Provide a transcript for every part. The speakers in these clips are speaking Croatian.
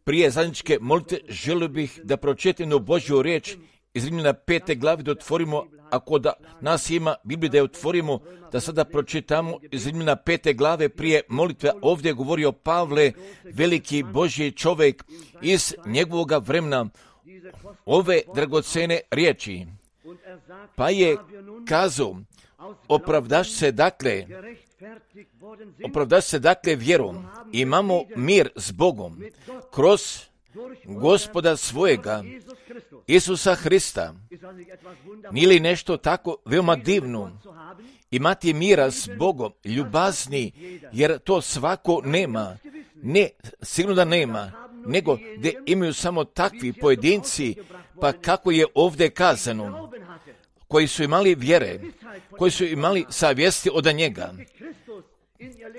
Prije zajedničke molitve želio bih da pročitam jednu Božju riječ iz Rimljana 5. glavi, da otvorimo, ako da nas ima Bibliju, da je otvorimo, da sada pročitamo iz Rimljana 5. glave prije molitve. Ovdje je govorio Pavle, veliki Božji čovjek iz njegovog vremena, ove dragocene riječi. Pa je kazao, opravdaš se dakle vjerom, imamo mir s Bogom kroz Gospoda svojega, Isusa Hrista. Nije li nešto tako veoma divno? Imati mira s Bogom, ljubazni, jer to svako nema. Ne, sigurno da nema, nego da imaju samo takvi pojedinci, pa kako je ovdje kazano, koji su imali vjere, koji su imali savjesti od njega,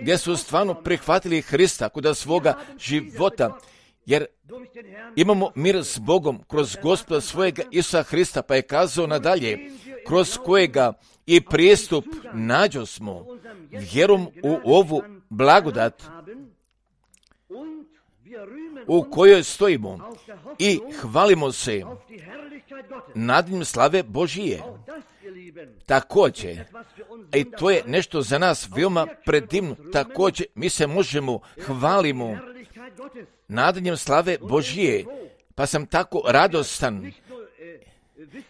gdje su stvarno prihvatili Hrista kod svoga života, jer imamo mir s Bogom kroz Gospoda svojega Isusa Hrista, pa je kazao nadalje, kroz kojega i pristup nađosmo vjerom u ovu blagodat u kojoj stojimo i hvalimo se nadnim slave Božije. Također, i to je nešto za nas veoma predivno, također mi se možemo hvalimo nadanjem slave Božije, pa sam tako radostan.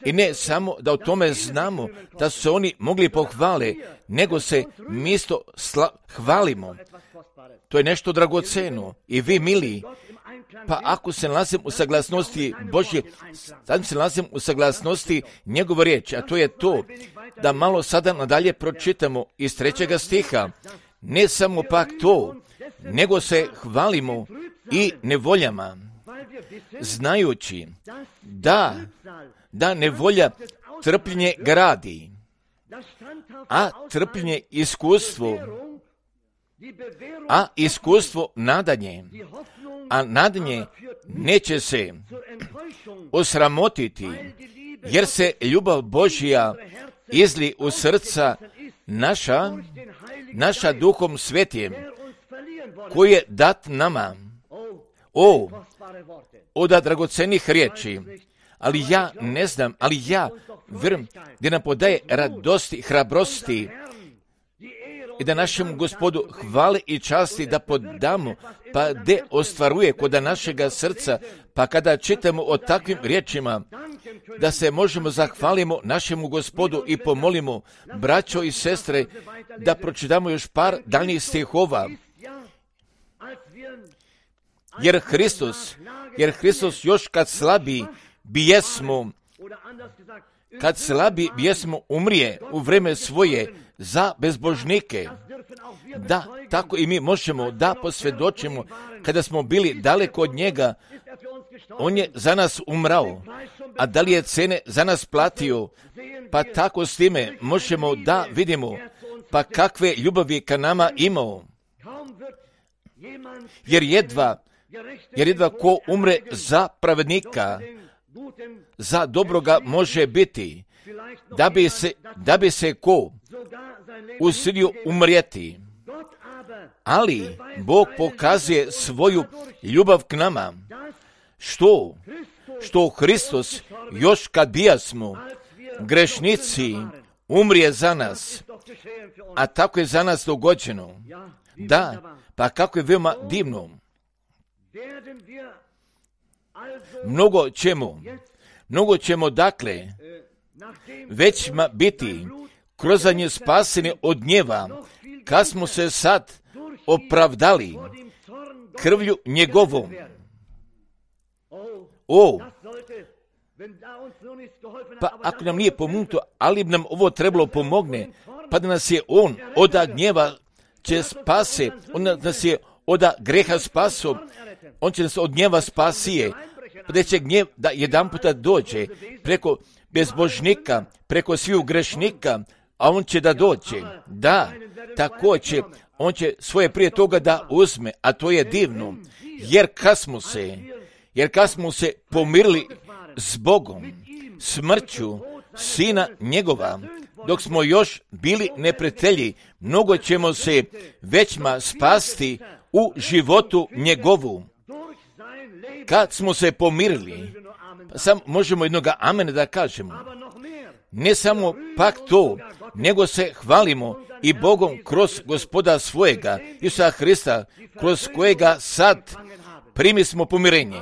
I ne samo da o tome znamo, da su se oni mogli pohvale, nego se mi isto hvalimo. To je nešto dragoceno. I vi, mili, pa ako se nalazim u saglasnosti Božje, sad se nalazim u saglasnosti njegove riječi, a to je to, da malo sada nadalje pročitamo iz 3. stiha. Ne samo pak to, nego se hvalimo i nevoljama, znajući da nevolja trpljenje gradi, a trpljenje iskustvo nadanje, a nadanje neće se osramotiti, jer se ljubav Božja izli u srca naša Duhom Svetijem, koji je dat nama. Oda dragocenih riječi, ali ja ne znam, ali ja vjerujem da nam podaje radosti, hrabrosti i da našem Gospodu hvale i časti da podamo, pa de ostvaruje kod našega srca, pa kada čitamo o takvim riječima, da se možemo zahvalimo našemu Gospodu i pomolimo, braćo i sestre, da pročitamo još par daljnjih stihova. Jer Hristos još kad slabi bijesmo umrije u vreme svoje za bezbožnike. Da, tako i mi možemo da posvjedočimo, kada smo bili daleko od njega, on je za nas umrao, a da li je cene za nas platio, pa tako s time možemo da vidimo, pa kakve ljubavi ka nama imao. Jer jedva ko umre za pravednika, za dobroga može biti, da bi se ko usilio umrijeti. Ali Bog pokazuje svoju ljubav k nama, što Hristos još kad bijasmo grešnici umrije za nas, a tako je za nas dogođeno. Da, pa kako je veoma divno. Mnogo ćemo dakle već biti kroz nje spaseni od gnjeva, kad smo se sad opravdali krvlju njegovom. Pa ako nam nije pomognuto, ali bi nam ovo trebalo pomogne, pa da nas je on od gnjeva će spase, on nas je od greha spaso, on će nas od gnjeva spasije, pa da će gnjev da jedan puta dođe preko bezbožnika, preko sviju grešnika, a on će da dođe. Da, tako će, on će svoje prije toga da uzme, a to je divno, jer kad smo se pomirili s Bogom, smrću Sina njegova, dok smo još bili neprijatelji, mnogo ćemo se većma spasti u životu njegovu. Kad smo se pomirili, sam možemo jednoga amena da kažemo. Ne samo pak to, nego se hvalimo i Bogom kroz Gospoda svojega, Isusa Hrista, kroz kojega sad primi smo pomirenje.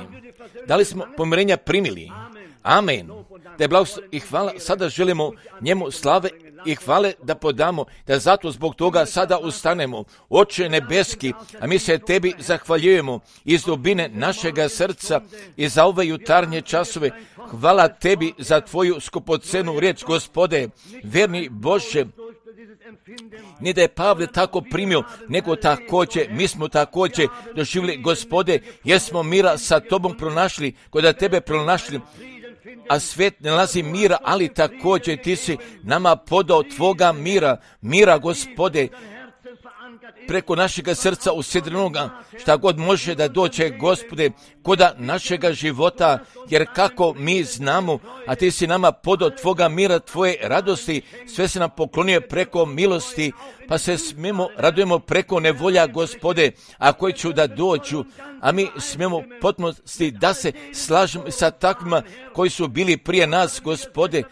Da li smo pomirenja primili? Amen. Da je blagoslov i hvala, sada želimo njemu slave i hvale da podamo, da zato zbog toga sada ustanemo. Oče nebeski, a mi se tebi zahvaljujemo iz dubine našega srca i za ove jutarnje časove. Hvala tebi za tvoju skupocenu riječ, Gospode, verni Bože. Ni da je Pavle tako primio, nego također, mi smo također doživjeli, Gospode, jer smo mira sa tobom pronašli, kod tebe pronašli, a svijet ne nalazi mira, ali također ti si nama podao tvoga mira, Gospode, preko našega srca usidrenoga, šta god može da dođe, Gospode, koda našega života, jer kako mi znamo, a ti si nama podao tvoga mira, tvoje radosti, sve se nam poklonio preko milosti, pa se smijemo, radujemo preko nevolja, Gospode, a koji ću da dođu, a mi smijemo potpunosti da se slažemo sa takvima koji su bili prije nas, Gospode,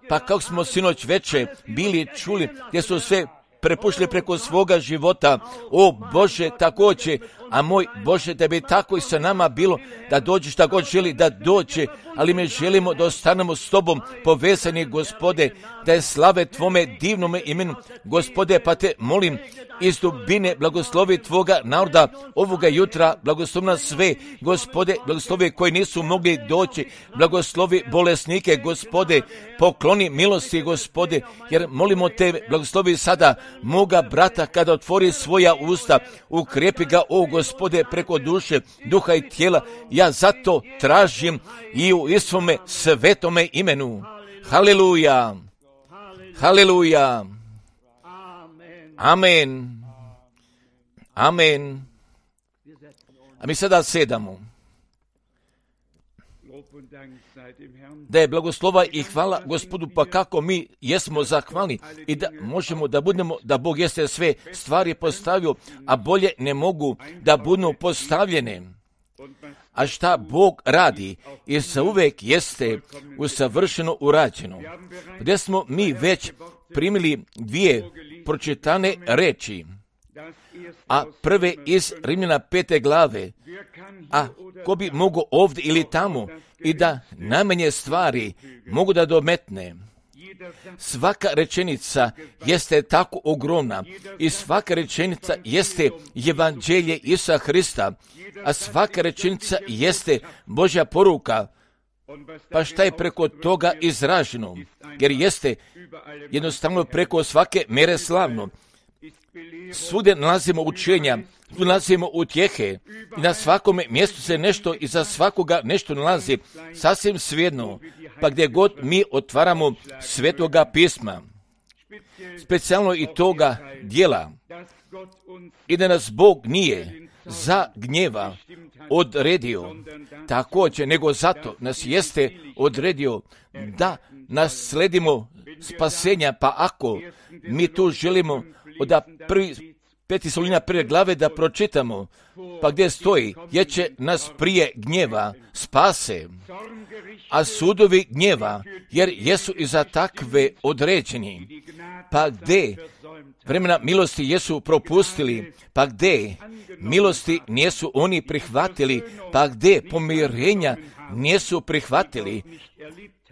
pa kako smo sinoć veče bili čuli, gdje su sve prepušli preko svoga života. O Bože, također, a moj Bože, da bi tako i sa nama bilo, da dođe šta god želi da dođe, ali mi želimo da ostanemo s tobom povezani, Gospode, da je slave tvome divnome imenu, Gospode, pa te molim iz dubine blagoslovi tvoga naroda ovoga jutra, blagoslovi nas sve, Gospode, blagoslovi koji nisu mogli doći, blagoslovi bolesnike, Gospode, pokloni milosti, Gospode, jer molimo te, blagoslovi sada moga brata kada otvori svoja usta, ukrijepi ga, o Gospode, preko duše, duha i tijela, ja zato tražim i u Isuvome svetome imenu. Haleluja, haleluja, amen, amen. A mi sada sedamo. Da je blagoslova i hvala Gospodu, pa kako mi jesmo zahvalni i da možemo da budemo, da Bog jeste sve stvari postavio, a bolje ne mogu da budu postavljene. A šta Bog radi i sa uvek jeste usavršeno urađeno. Gdje smo mi već primili dvije pročitane reči, a prve iz Rimljana 5. glave, a ko bi mogo ovdje ili tamo i da najmanje stvari mogu da dometne. Svaka rečenica jeste tako ogromna i svaka rečenica jeste evanđelje Isusa Hrista, a svaka rečenica jeste Božja poruka. Pa šta je preko toga izraženo? Jer jeste jednostavno preko svake mere slavno. Svude nalazimo učenja, tu nalazimo utjehe i na svakome mjestu se nešto i za svakoga nešto nalazi, sasvim svejedno, pa gdje god mi otvaramo Svetoga pisma, specijalno i toga dijela, i da nas Bog nije za gnjeva odredio, također, nego zato nas jeste odredio da nasledimo spasenja, pa ako mi tu želimo od 5. Solina 1. glave da pročitamo, pa gdje stoji, jer će nas prije gnjeva spase, a sudovi gnjeva, jer jesu i za takve određeni, pa gdje vremena milosti jesu propustili, pa gdje milosti nijesu oni prihvatili, pa gdje pomirenja nijesu prihvatili,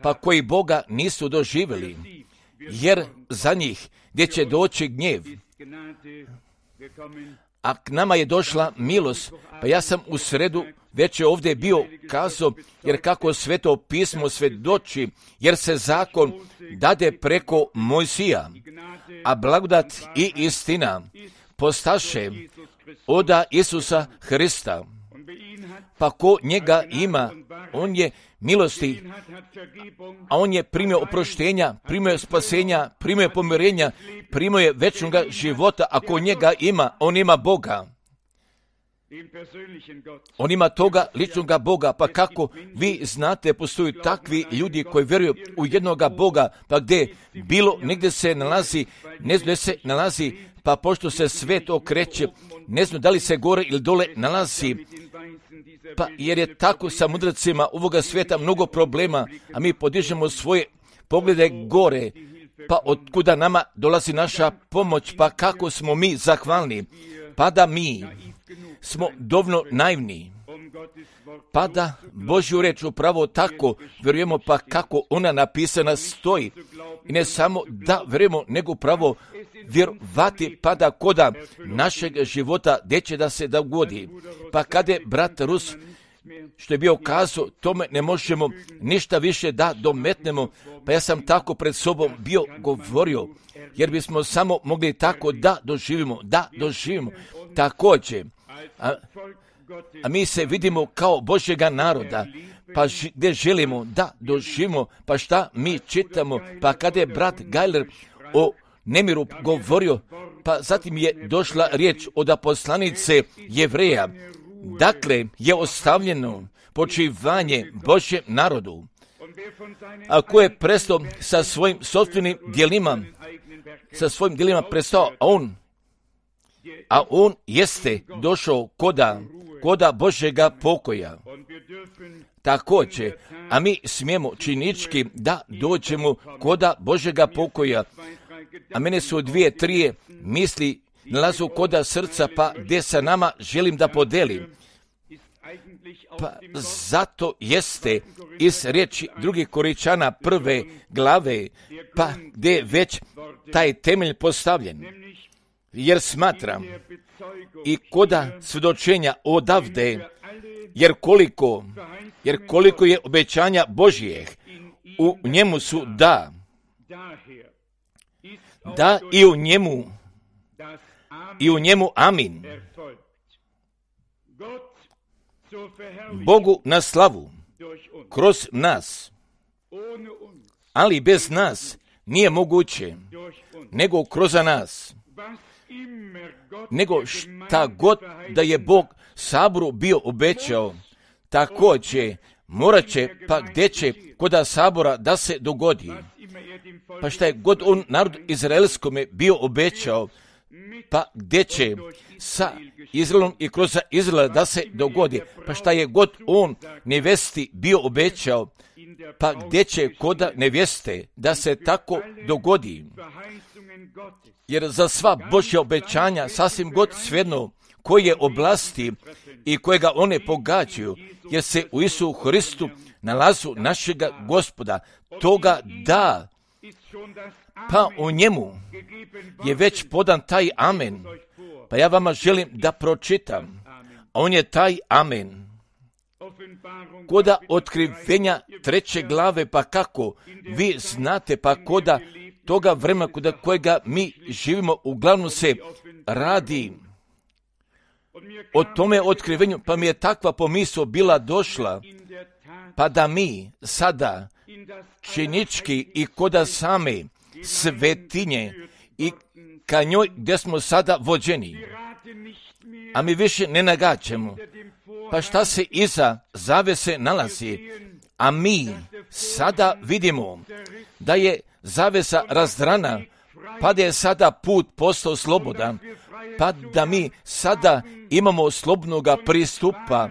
pa koji Boga nisu doživjeli, jer za njih gdje će doći gnjev. A k nama je došla milost, pa ja sam u sredu već je ovdje bio kazao, jer kako Sveto pismo svjedoči, jer se zakon dade preko Mojsija, a blagodat i istina postaše oda Isusa Hrista. Pa ko njega ima, on je milosti, a on je primio oproštenja, primio spasenja, primio pomirenja, primio je večnoga života, a ko njega ima, on ima Boga. On ima toga ličnoga Boga, pa kako vi znate, postoji takvi ljudi koji vjeruju u jednoga Boga, pa gdje bilo negdje se nalazi, ne znam gdje se nalazi, pa pošto se svet okreće, ne znam da li se gore ili dole nalazi, pa jer je tako sa mudracima ovoga svijeta mnogo problema, a mi podižemo svoje poglede gore, pa otkuda nama dolazi naša pomoć, pa kako smo mi zahvalni, pa da mi smo dovoljno naivni, pa da Božju reč upravo tako vjerujemo, pa kako ona napisana stoji. I ne samo da vjerujemo, nego upravo vjerovati, pa da koda našeg života gdje će da se dogodi. Pa kada je brat Rus, što je bio kazao, tome ne možemo ništa više da dometnemo, pa ja sam tako pred sobom bio govorio, jer bismo samo mogli tako da doživimo. Također, a mi se vidimo kao Božjega naroda, pa gdje želimo da doživimo, pa šta mi čitamo, pa kada je brat Gajler o nemiru govorio, pa zatim je došla riječ od poslanice Jevreja, dakle je ostavljeno počivanje Božjem narodu, a ko je prestao sa svojim sopstvenim djelima, prestao, a on jeste došao koda Božjega pokoja. Također, a mi smijemo činički da dođemo koda Božjega pokoja, a mene su 2-3 misli nalazu koda srca, pa gdje sa nama želim da podelim. Pa zato jeste iz riječi 2. Korinčana 1. glave, pa gdje je već taj temelj postavljen. Jer smatram i koda svjedočenja odavde, jer koliko je obećanja Božjih, u njemu su da i u njemu amin. Bogu na slavu kroz nas, ali bez nas nije moguće, nego kroz nas. Nego šta god da je Bog saboru bio obećao, također morat će, pa gdje će koda sabora da se dogodi. Pa šta je god on narod izraelskome bio obećao, pa gdje će sa Izraelom i kroz Izraela da se dogodi. Pa šta je god on nevesti bio obećao, pa gdje će koda neveste da se tako dogodi. Jer za sva Božja obećanja sasvim god svejedno koje oblasti i kojega one pogađaju, jer se u Isu Hristu nalazu našega Gospoda, toga da, pa u njemu je već podan taj amen. Pa ja vama želim da pročitam, a on je taj amen. Koda otkrivenja 3. glave, pa kako vi znate, pa koda toga vremena koda kojega mi živimo, uglavnom se radi o tome otkrivenju, pa mi je takva pomisao bila došla, pa da mi sada činički i koda same svetinje i ka njoj gdje smo sada vođeni, a mi više ne nagađamo, pa šta se iza zavese nalazi, a mi sada vidimo da je zavesa razdrana, pa da je sada put postao slobodan, pa da mi sada imamo slobodnoga pristupa,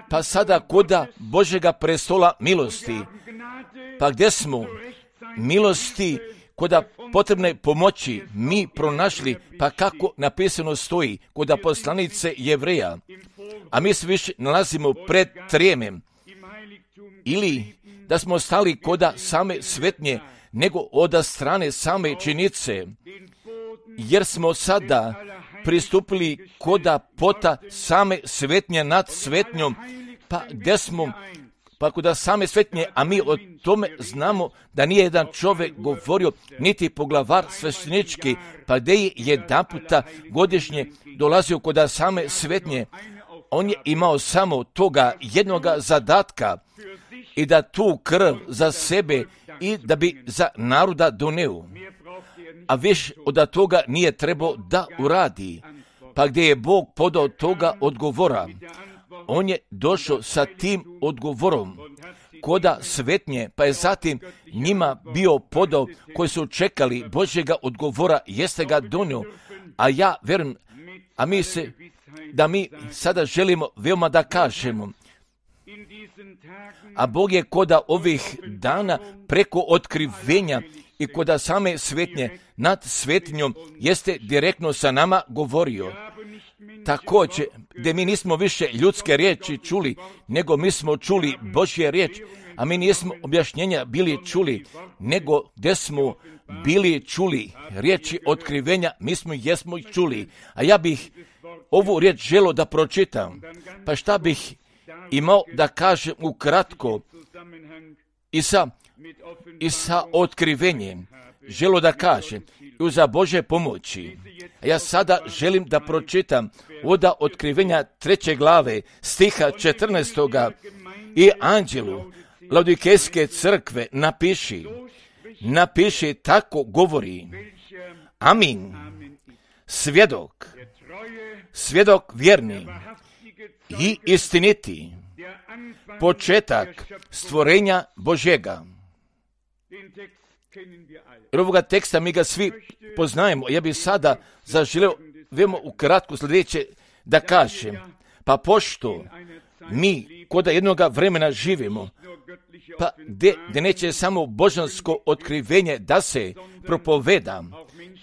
pa sada koda Božjega prestola milosti, pa gdje smo milosti koda potrebne pomoći mi pronašli, pa kako napisano stoji koda poslanice Jevreja, a mi se više nalazimo pred trijemem, ili da smo stali koda same svetnje, nego od strane same činice, jer smo sada pristupili koda pota same svetnje nad svetnjom, pa gdje smo, pa koda same svetnje, a mi o tome znamo da nije jedan čovjek govorio, niti poglavar sveštenički, pa gdje je jedan puta godišnje dolazio koda same svetnje, on je imao samo toga jednoga zadatka i da tu krv za sebe i da bi za naroda doneo. A više od toga nije trebao da uradi. pa gdje je Bog podao toga odgovora, on je došao sa tim odgovorom koda svetnje, pa je zatim njima bio podao koji su čekali Božjega odgovora, jeste ga donio, a ja verujem, da mi sada želimo veoma da kažemo, a Bog je koda ovih dana preko otkrivenja i koda same svetnje nad svetinjom jeste direktno sa nama govorio. Također, gdje mi nismo više ljudske riječi čuli, nego mi smo čuli Božje riječ, a mi nismo objašnjenja bili čuli, nego gdje smo bili čuli riječi otkrivenja, mi jesmo ih čuli. A ja bih ovu riječ želio da pročitam, pa šta bih imao da kažem ukratko i sa otkrivenjem, želio da kažem, i za Bože pomoći. A ja sada želim da pročitam od otkrivenja 3. glave, stiha 14. I anđelu Laodikejske crkve napiši tako govori. Amin. Svjedok vjerni i istiniti, početak stvorenja Božjega. Jer ovoga teksta mi ga svi poznajemo. Ja bih sada zaželio veoma ukratko sljedeće da kažem. Pa pošto mi koda jednoga vremena živimo, pa gdje neće samo božansko otkrivenje da se propoveda,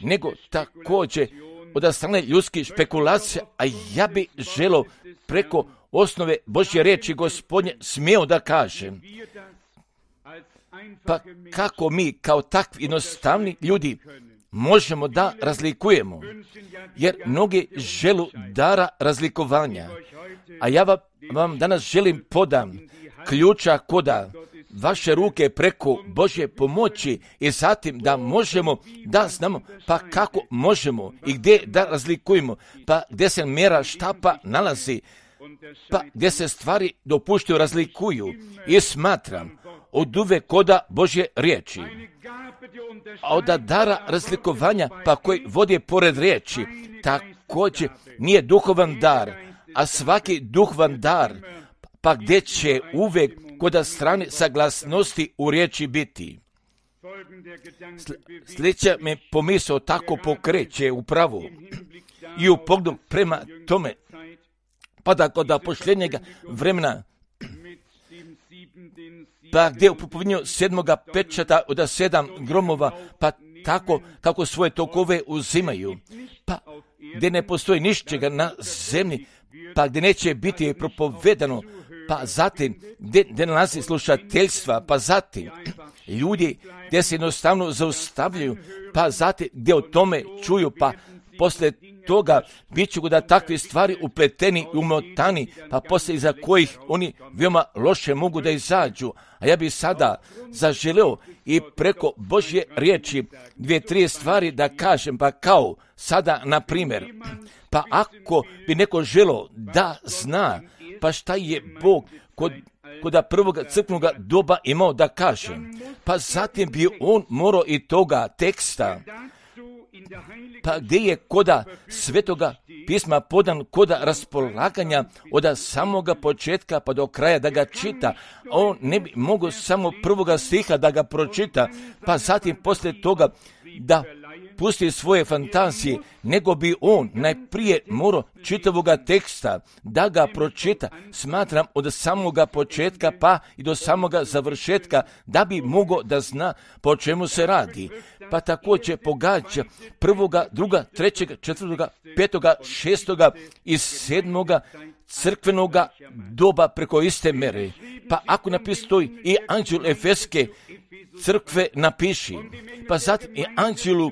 nego također od strane ljudskih špekulacija, a ja bih želio preko osnove Božje riječi Gospodnje smio da kažem. Pa kako mi kao takvi jednostavni ljudi možemo da razlikujemo? Jer mnogi želu dara razlikovanja. A ja vam danas želim podam ključa koda vaše ruke preko Božje pomoći i zatim da možemo da znamo pa kako možemo i gdje da razlikujemo, pa gdje se mjera štapa nalazi, pa gdje se stvari dopuštaju razlikuju i smatram od uvek koda Božje riječi. A od dara razlikovanja pa koji vodi pored riječi također nije duhovan dar, a svaki duhovan dar pa gdje će uvek koda strane saglasnosti u riječi biti. Sljedeća me pomisao tako pokreće upravo i u pogledu prema tome, pa da kod posljednjega vremena, pa gdje u propovinju 7. pečata od 7 gromova, pa tako kako svoje tokove uzimaju, pa gdje ne postoji ničega na zemlji, pa gdje neće biti propovedano, pa zatim gdje nalazi slušateljstva, pa zatim ljudi gdje se jednostavno zaustavljaju, pa zatim gdje o tome čuju, pa poslije toga bit ću da takve stvari upleteni i umotani, pa poslije iza kojih oni veoma loše mogu da izađu. A ja bih sada zaželeo i preko Božje riječi 2-3 stvari da kažem, pa kao sada na primjer, pa ako bi neko želeo da zna, pa šta je Bog kod prvog crkvenog doba imao da kaže, pa zatim bi on morao i toga teksta, pa gdje je koda svetoga pisma podan koda raspolaganja od samoga početka pa do kraja da ga čita, on ne bi mogao samo prvoga stiha da ga pročita, pa zatim poslije toga da pusti svoje fantazije, nego bi on najprije morao čitavoga teksta da ga pročita, smatram od samoga početka pa i do samoga završetka, da bi mogao da zna po čemu se radi. Pa također pogađa 1., 2., 3., 4., 5., 6. i 7. crkvenoga doba preko iste mere. Pa ako napistoji i anđel Efeske crkve napiši, pa zatim i anđelu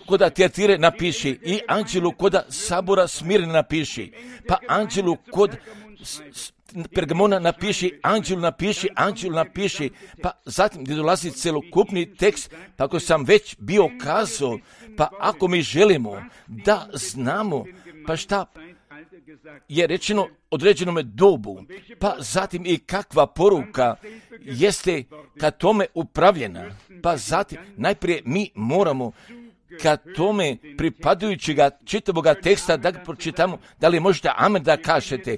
koda Tiatire napiši, i anđelu koda sabora Smirne napiši, pa anđelu kod Pergamona napiši, anđelu napiši, pa zatim gdje dolazi celokupni tekst, pa ako sam već bio kazao, pa ako mi želimo da znamo, pa šta je rečeno određenome dobu, pa zatim i kakva poruka jeste ka tome upravljena, pa zatim najprije mi moramo kad tome pripadajućega čitavoga teksta da ga pročitamo, da li možete amen da kažete,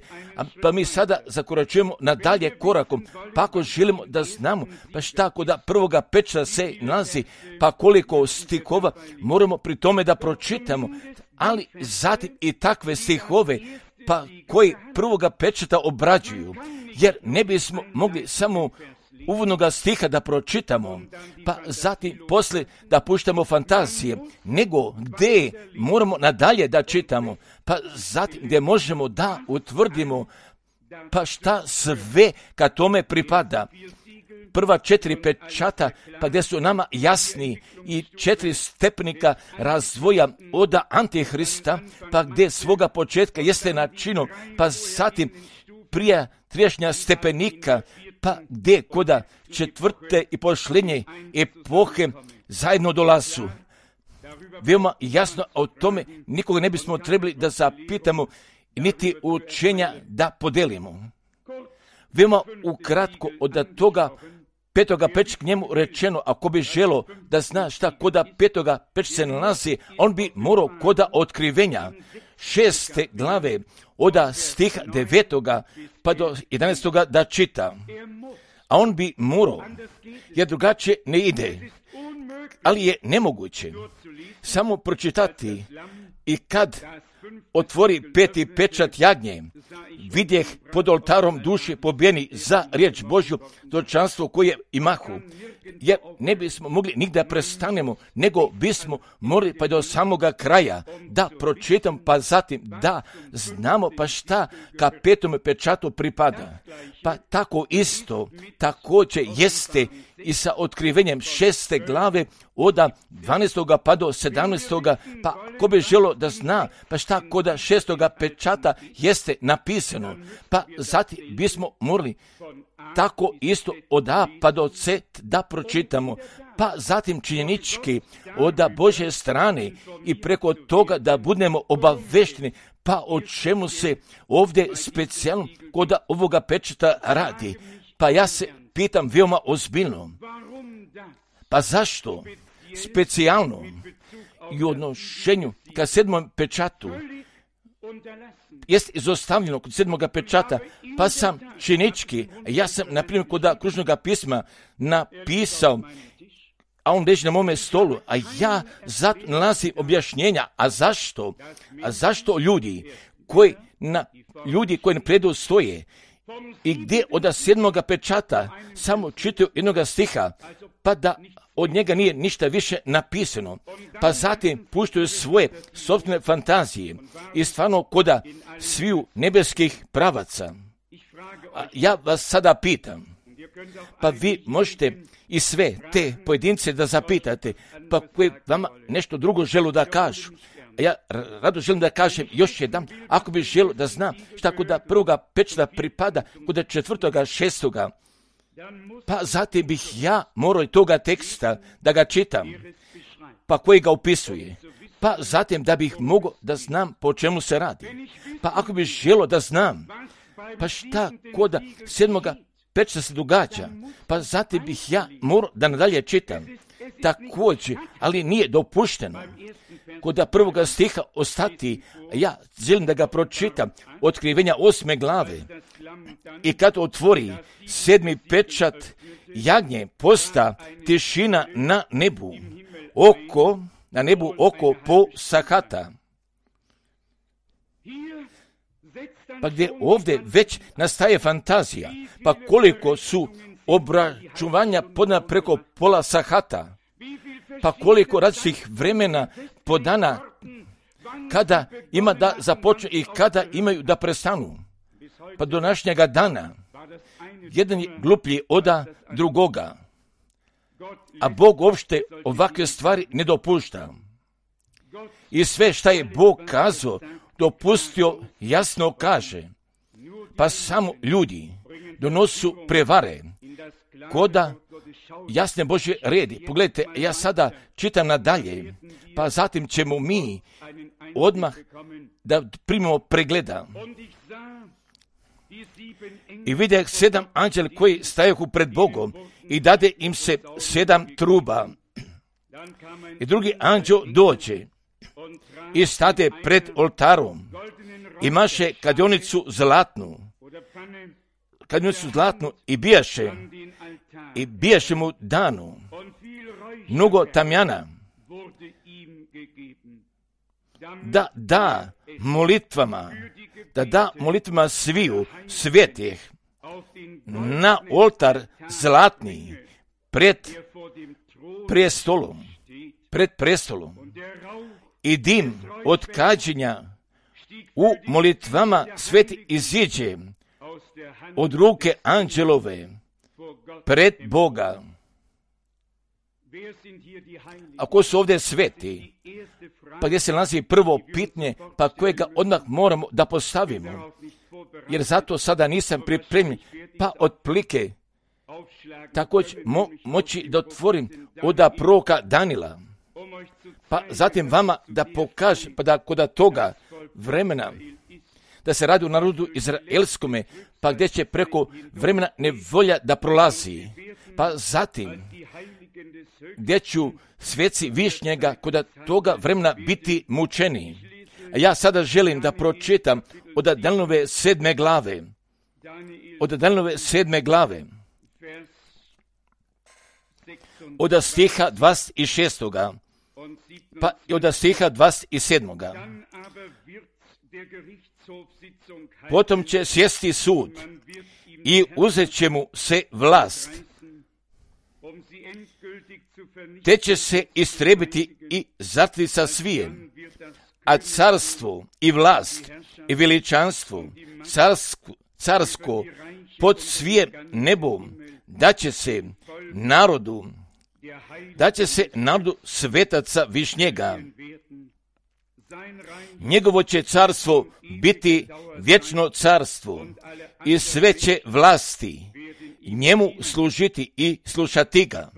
pa mi sada zakoračujemo nadalje korakom, pa ako želimo da znamo, pa šta kod prvoga pečata se nalazi, pa koliko stihova moramo pri tome da pročitamo, ali zatim i takve stihove, pa koji prvoga pečata obrađuju, jer ne bismo mogli samo uvodnoga stiha da pročitamo, pa zatim poslije da puštamo fantazije, nego gdje moramo nadalje da čitamo, pa zatim gdje možemo da utvrdimo, pa šta sve kad tome pripada. Prva 4 pečata, pa gdje su nama jasni i 4 stepenika razvoja od Antihrista, pa gdje svoga početka jeste načinom, pa zatim prije triješnja stepenika, pa gdje koda 4. i posljednje epohe zajedno dolazu. Veoma jasno o tome nikoga ne bismo trebali da zapitamo, niti učenja da podelimo. Veoma ukratko od toga 5. peča k njemu rečeno, ako bi želo da zna šta koda 5. peča se nalazi, on bi morao koda otkrivenja 6. glave od stiha 9. pa do 11. da čita. A on bi morao, jer drugačije ne ide. Ali je nemoguće samo pročitati i kad otvori 5. pečat jagnje, vidjeh pod oltarom duše pobijeni za riječ Božju, dočanstvo koje imahu. Jer ne bismo mogli nigdje prestanemo, nego bismo morali pa do samoga kraja da pročitam, pa zatim da znamo pa šta ka 5. pečatu pripada. Pa tako isto, također jeste i sa otkrivenjem 6. glave od 12. pa do 17. pa ko bi želo da zna pa šta kod 6. pečata jeste napisano, pa zatim bismo morali tako isto od A pa do C da pročitamo, pa zatim činjenički od Božje strane i preko toga da budemo obavešteni, pa o čemu se ovdje specijalno kod ovoga pečata radi. Pa ja se pitam veoma ozbiljno, pa zašto specijalno i u odnošenju ka 7. pečatu jest izostavljeno kod 7. pečata, pa sam činički, ja sam na primjer kod kružnog pisma napisao, a on leži na mome stolu, a ja zato nalazim objašnjenja, a zašto? A zašto ljudi koji na predu stoje i gdje od 7. pečata samo čitaju jednog stiha, pa da od njega nije ništa više napisano, pa zatim puštaju svoje sopstvene fantazije i stvarno koda sviju nebeskih pravaca. A ja vas sada pitam, pa vi možete i sve te pojedince da zapitate, pa koji vama nešto drugo želu da kažu. A ja rado želim da kažem još jedan, ako bi želo da znam šta kod 1. pečata pripada, kod 4. 6. pa zatim bih ja morao toga teksta da ga čitam, pa koji ga opisuje, pa zatim da bih mogao da znam po čemu se radi. Pa ako bih želo da znam, pa šta kod 7. pečata se događa, pa zatim bih ja morao da nadalje čitam. Također, ali nije dopušteno kod 1. stiha ostati, ja želim da ga pročitam, otkrivenja 8. glave. I kad otvori 7. pečat jagnje, posta tišina na nebu, oko po sahata. Pa gdje ovdje već nastaje fantazija, pa koliko su obračunanja podana preko pola sahata, pa koliko različitih vremena po dana, kada ima da započne i kada imaju da prestanu. Pa do današnjega dana, jedan je gluplji od drugoga, a Bog uopšte ovakve stvari ne dopušta. I sve šta je Bog kazao, dopustio, jasno kaže, pa samo ljudi donosu prevare, koda jasne Božje redi. Pogledajte, ja sada čitam nadalje, pa zatim ćemo mi odmah da primimo pregleda. I vidjeh 7 anđela koji stajahu pred Bogom i dade im se 7 truba. I drugi anđel dođe i stade pred oltarom. Imaše kladionicu zlatnu i bijaše mu danu mnogo tamjana da da molitvama sviju svetih na oltar zlatni pred prestolom. I dim od kađenja u molitvama sveti iziđe od ruke anđelove pred Boga. A ko su ovdje sveti? Pa gdje se nalazi prvo pitanje, pa kojega odmah moramo da postavimo? Jer zato sada nisam pripremljen, pa otplike također moći da otvorim od proroka Danila. Pa zatim vama da pokažem, pa da kod toga vremena, da se radi o narodu izraelskome, pa gdje će preko vremena nevolja da prolazi. Pa zatim, gdje ću sveci višnjega kod toga vremena biti mučeni. A ja sada želim da pročitam od Danielove 7. glave. Od Danielove 7. glave. Od stiha 26. pa i od stiha 27. Potom će sjesti sud i uzet će mu se vlast, te će se istrebiti i zatrti sa svijem, a carstvo i vlast i veličanstvo carsko pod svijem nebom daće se narodu svetaca višnjega. Njegovo će carstvo biti vječno carstvo i sve će vlasti njemu služiti i slušati ga.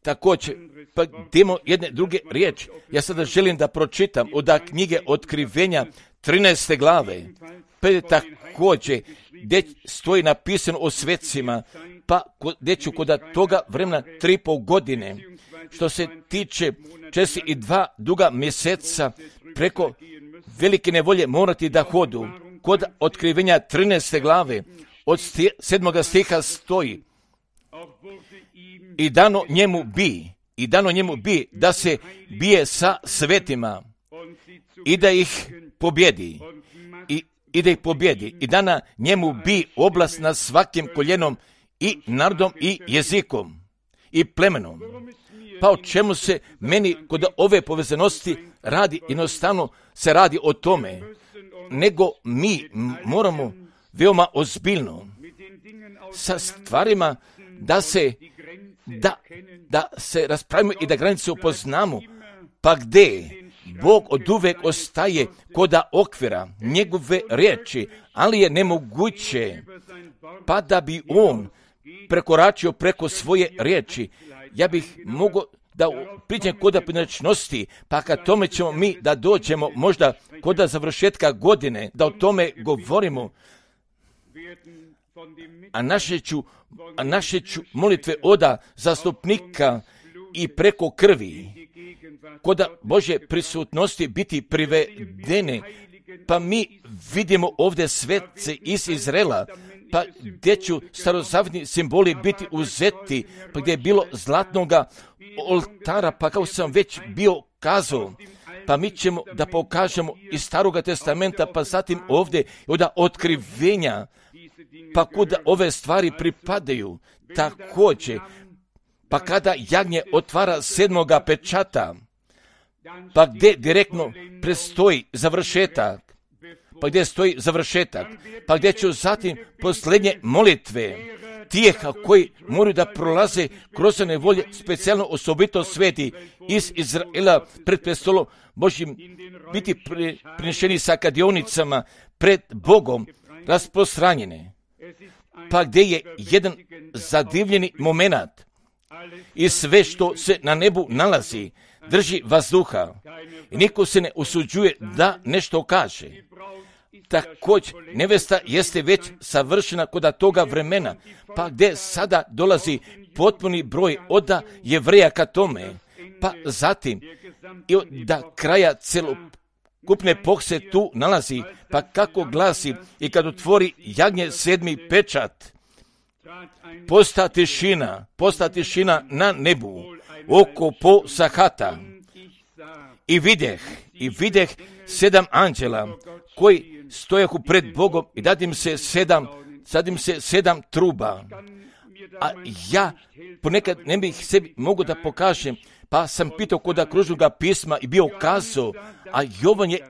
Također, pa idemo jedne druge riječi. Ja sada želim da pročitam od knjige Otkrivenja 13. glave. Pa je također gdje stoji napisano o svecima, pa gdje ću kod toga vremena 3,5 godine, što se tiče 42 duga mjeseca preko velike nevolje morati da hodu. Kod Otkrivenja 13. glave od 7. stiha stoji: I dano njemu bi da se bije sa svetima i da ih pobjedi. I dana njemu bi oblast nad svakim koljenom i narodom i jezikom i plemenom. Pa o čemu se meni kod ove povezanosti radi? Jednostavno se radi o tome, nego mi moramo veoma ozbiljno sa stvarima da se raspravimo i da granice upoznamo, pa gdje Bog oduvek ostaje koda okvira njegove riječi, ali je nemoguće pa da bi on prekoračio preko svoje riječi. Ja bih mogao da priđem kod pojedinačnosti, pa kad tome ćemo mi da dođemo možda kod završetka godine, da o tome govorimo, a naše ću molitve oda zastupnika i preko krvi kod Božje prisutnosti biti privedene. Pa mi vidimo ovdje svece iz Izraela, pa gdje ću starozavjetni simboli biti uzeti, pa gdje je bilo zlatnoga oltara, pa kao sam već bio kazao, pa mi ćemo da pokažemo iz Staroga testamenta, pa zatim ovdje od otkrivenja, pa kuda ove stvari pripadaju, također, pa kada jagnje otvara 7. pečata, pa gdje direktno prestoji završetak, pa gdje ću zatim posljednje molitve tijeh koji moraju da prolaze kroz nevolje, specijalno osobito sveti iz Izraela pred prestolom Božjim biti prinešeni sa kadionicama pred Bogom rasprostranjene. Pa gdje je jedan zadivljeni moment i sve što se na nebu nalazi drži vazduha i niko se ne usuđuje da nešto kaže. Također, nevesta jeste već savršena kod toga vremena, pa gdje sada dolazi potpuni broj od Jevreja ka tome pa zatim i da kraja celokupne pohse tu nalazi, pa kako glasi, i kad otvori jagnje 7. pečat, posta tišina na nebu, oko po sahata. I videh 7 anđela koji stojahu pred Bogom i dadim se 7 truba. A ja ponekad ne bih sebi mogu da pokažem, pa sam pitao kod kružnoga pisma i bio kazao, a Jovan je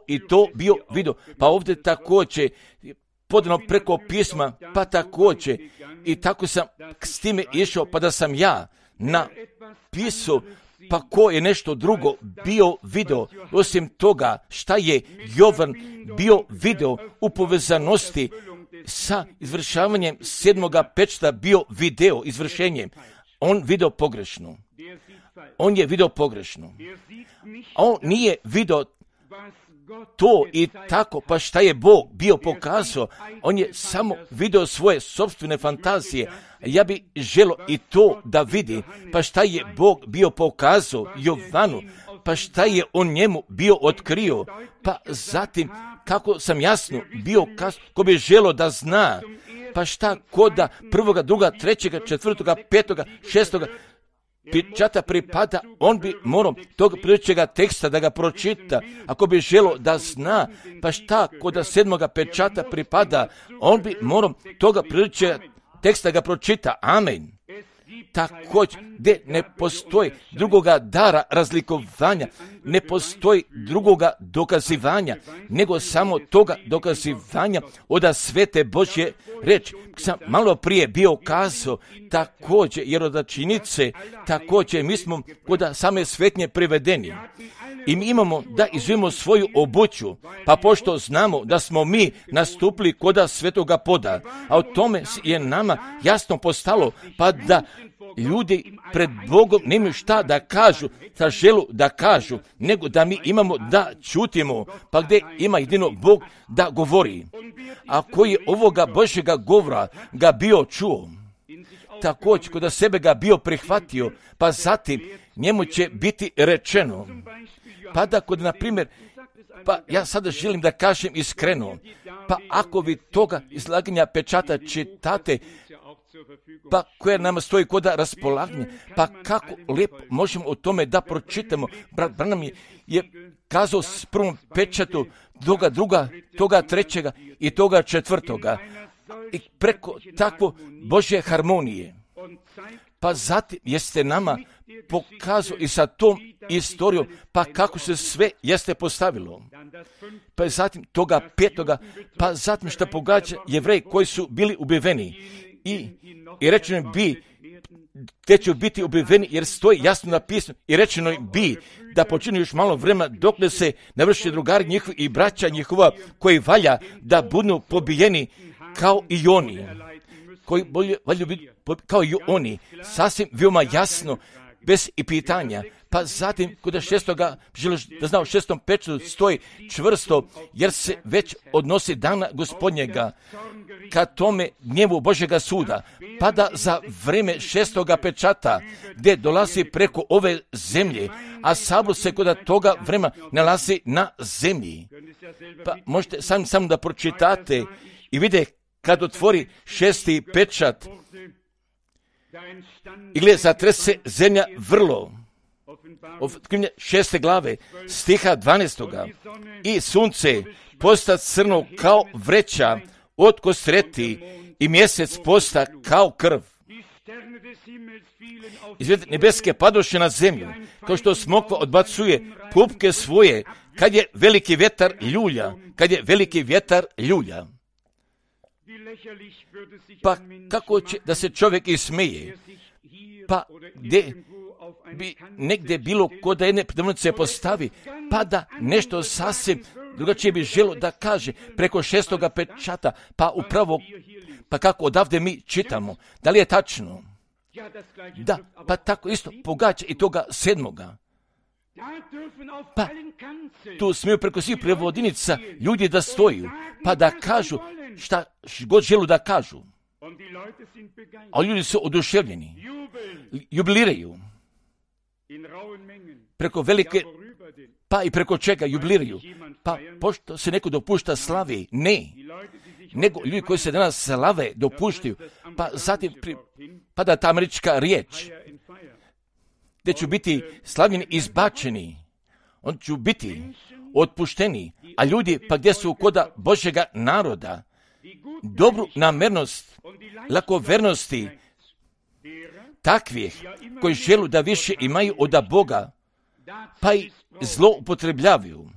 i to bio vidio. Pa ovdje također podano preko pisma, pa također i tako sam s time išao, pa da sam ja napisao, pa ko je nešto drugo bio video, osim toga šta je Jovan bio video u povezanosti sa izvršavanjem 7. pečata bio video izvršenjem. On je video pogrešno. On nije video to i tako, pa šta je Bog bio pokazao. On je samo video svoje sopstvene fantazije. Ja bi želio i to da vidi, pa šta je Bog bio pokazao Jovanu, pa šta je on njemu bio otkrio, pa zatim kako sam jasno bio kazao, ko bi želio da zna, pa šta koda 1., 2., 3., 4., 5., 6. pečata pripada, on bi morao tog priličega teksta da ga pročita. Ako bi želio da zna, pa šta koda 7. pečata pripada, on bi morao toga priličega teksta ga pročita. Amen. Također, gdje ne postoji drugoga dara razlikovanja, ne postoji drugoga dokazivanja, nego samo toga dokazivanja od svete Božje reči. Sam malo prije bio kazao, također, jer od činjenice, također, mi smo kod same svetnje privedeni. I mi imamo da izvijemo svoju obuću, pa pošto znamo da smo mi nastupili koda svetoga poda, a o tome je nama jasno postalo, pa da ljudi pred Bogom nemaju šta da kažu, sa želu da kažu, nego da mi imamo da čutimo, pa gdje ima jedino Bog da govori. A koji je ovoga Božjega govora ga bio čuo, također kod sebe ga bio prihvatio, pa zatim njemu će biti rečeno. Pa da kod, na primjer, pa ja sada želim da kažem iskreno, pa ako vi toga izlaganja pečata čitate, pa koje nama stoji kod raspolaganja, pa kako lijepo možemo o tome da pročitamo. Brat Branham je kazao s 1. pečatu, toga 2., toga 3. i toga 4. I preko takvo Božje harmonije. Pa zatim jeste nama pokazao i sa tom istorijom, pa kako se sve jeste postavilo. Pa zatim toga 5. pa zatim što pogađa Jevreji koji su bili ubiveni. I rečeno bi, te će biti ubiveni jer stoji jasno napisano. I rečeno bi da počinu još malo vremena dok ne se navrši drugari njihovi i braća njihova koji valja da budu pobijeni kao i oni. Koji valju biti kao i oni. Sasvim veoma jasno, bez i pitanja. Pa zatim, kod 6. želiš da zna u 6. pečatu stoji čvrsto, jer se već odnosi dana Gospodnjega ka tome gnjevu Božjega suda. Pa da za vreme 6. pečata, gdje dolazi preko ove zemlje, a sabor se kod toga vremena nalazi na zemlji. Pa možete samo da pročitate i vide kad otvori 6. pečat i gleda, zatrese zemlja vrlo. 6. glave, stiha 12. I sunce posta crno kao vreća od kostreti i mjesec posta kao krv. Izvjed nebeske padoše na zemlju, kao što smokva odbacuje pupke svoje, kad je veliki vjetar ljulja. Pa kako će da se čovjek ismeje? Pa gdje bi negdje bilo kod da jedne predavnice postavi, pa da nešto sasvim drugačije bi želo da kaže preko 6. pečata, pa upravo, pa kako odavde mi čitamo, da li je tačno? Da, pa tako isto pogađa i toga 7. Pa tu smiju preko svih prevodinica ljudi da stoju, pa da kažu šta god želu da kažu. A ljudi su oduševljeni, jubiliraju. preko velike, pa i preko čega jubiliraju. Pa pošto se neko dopušta slavi, ne, nego ljudi koji se danas slave dopuštaju, pa zatim pada ta američka riječ, gdje ću biti slavljeni, izbačeni, on ću biti otpušteni, a ljudi pa gdje su koda Božjega naroda, dobru namjernost, lakovernosti, takvih koji želu da više imaju od Boga, pa i zlo upotrebljavaju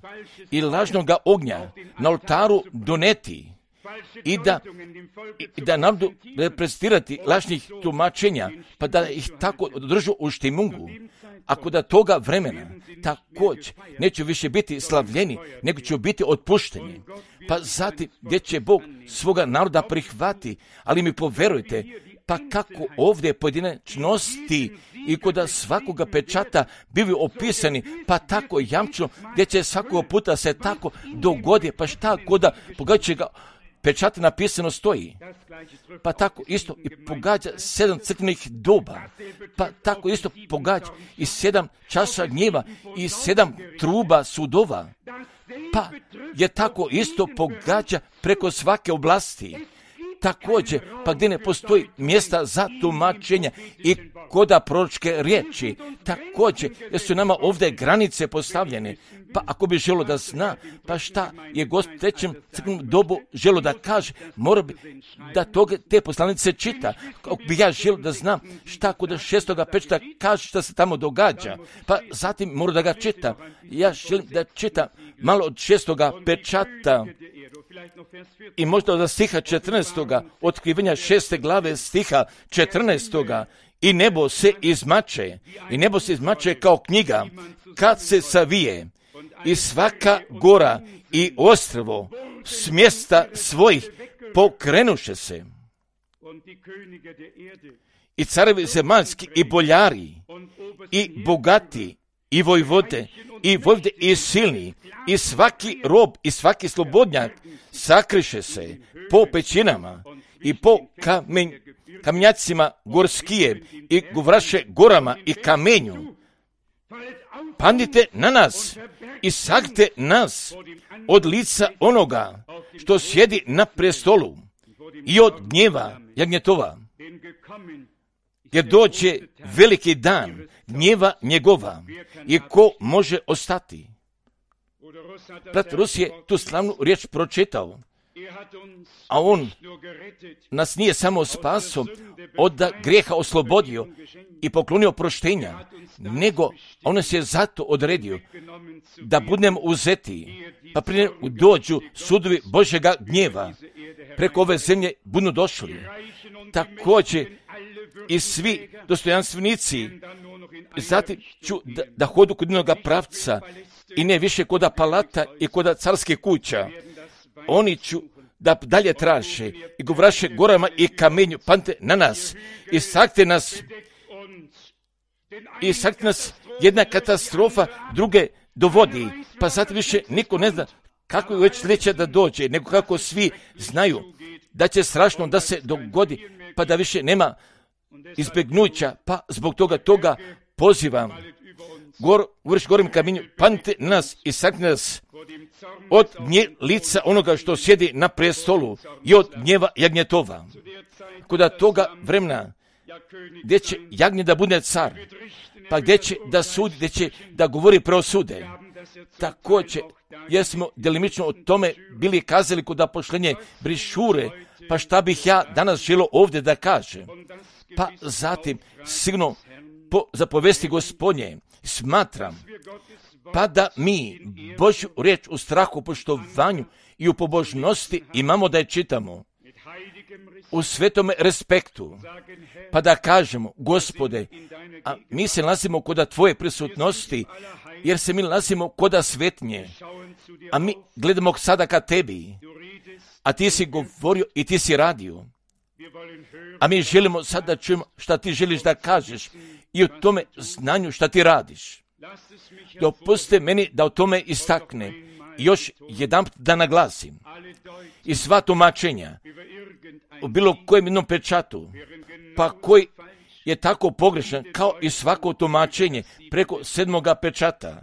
i lažnoga ognja na oltaru doneti i da narodu reprezentirati lažnih tumačenja, pa da ih tako držu u štimungu. Ako da toga vremena također neće više biti slavljeni, nego će biti otpušteni. Pa zatim gdje će Bog svoga naroda prihvati, ali mi poverujte, pa kako ovdje pojedinačnosti i kod svakoga pečata bili opisani, pa tako jamčno, gdje će svakog puta se tako dogodi, pa šta koda pogađajućega pečata napisano stoji. Pa tako isto i pogađa 7 crkvenih doba, pa tako isto pogađa i 7 časa gnjeva i 7 truba sudova, pa je tako isto pogađa preko svake oblasti. Također, pa gdje ne postoji mjesta za tumačenja i koda proročke riječi, također, jer su nama ovdje granice postavljene, pa ako bi želo da zna, pa šta je Gospod u trećem crkvenom dobu želo da kaže, mora bi da te poslanice čita, ako bi ja želo da znam šta kod 6. pečata kaže šta se tamo događa, pa zatim mora da ga čita. Ja želim da čitam malo od 6. pečata, i možda od stiha 14. otkrivanja 6. glave stiha 14. I nebo se izmače kao knjiga kad se savije i svaka gora i ostrvo s mjesta svojih pokrenuše se. I carevi zemaljski i boljari i bogati i vojvode i silni i svaki rob i svaki slobodnjak sakriše se po pećinama i po kamenjacima gorskije i govraše gorama i kamenju. Padnite na nas i sakrite nas od lica onoga što sjedi na prestolu i od gnjeva jagnjetova. Jer dođe veliki dan gnjeva njegova i ko može ostati? Brat Rus je tu slavnu riječ pročitao, a on nas nije samo spaso od grijeha oslobodio i poklonio proštenja, nego on nas je zato odredio da budemo uzeti, pa prije dođu sudovi Božjega gnjeva, preko ove zemlje budu došli. Također i svi dostojanstvenici, zatim ću da hodu kod jednoga pravca i ne više koda palata i koda carske kuća. Oni ću da dalje traže i govraše gorama i kamenju, pante na nas i sakrite nas jedna katastrofa druge dovodi, pa sad više niko ne zna kako je već sljedeće da dođe, nego kako svi znaju da će strašno da se dogodi, pa da više nema izbjegnuća, pa zbog toga pozivam gorim kamenju, pante na nas i sakrite nas od lica onoga što sjedi na prestolu i od gnjeva jagnjetova. Koda toga vremena gdje će jagnje da bude car, pa gdje će da sudi, gdje će da govori preosude. Također, jer smo delimično o tome bili kazali kod apoštenja brišure, pa šta bih ja danas želio ovdje da kažem. Pa zatim, sigurno po zapovesti Gospodnje, smatram, pa da mi Božju riječ u strahu, poštovanju i u pobožnosti imamo da je čitamo u svetome respektu, pa da kažemo, Gospode, a mi se nalazimo koda Tvoje prisutnosti, jer se mi nalazimo koda svetnje, a mi gledamo sada ka Tebi, a Ti si govorio i Ti si radio, a mi želimo sad da čujemo šta Ti želiš da kažeš i o tome znanju šta Ti radiš. Dopustite meni da o tome istaknem i još jedanput da naglasim. I sva tumačenja u bilo kojem jednom pečatu, pa koji je tako pogrešan kao i svako tumačenje preko 7. pečata.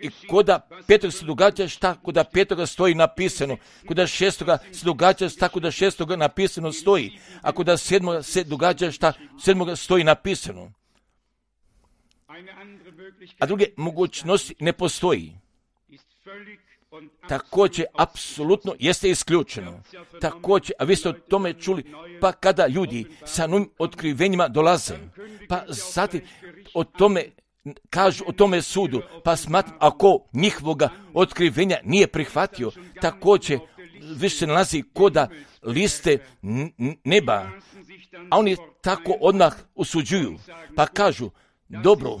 I koda 5. se događa šta koda 5. stoji napisano, koda 6. se događa šta koda 6. napisano stoji, a koda 7. se događa šta 7. stoji napisano. A druge mogućnosti ne postoji. Također, apsolutno jeste isključeno. Također, a vi ste o tome čuli, pa kada ljudi sa novim otkrivenjima dolaze, pa zatim o tome kažu o tome sudu, pa smatram, ako njihovoga otkrivenja nije prihvatio, također više se nalazi koda liste neba, a oni tako odmah osuđuju, pa kažu, dobro,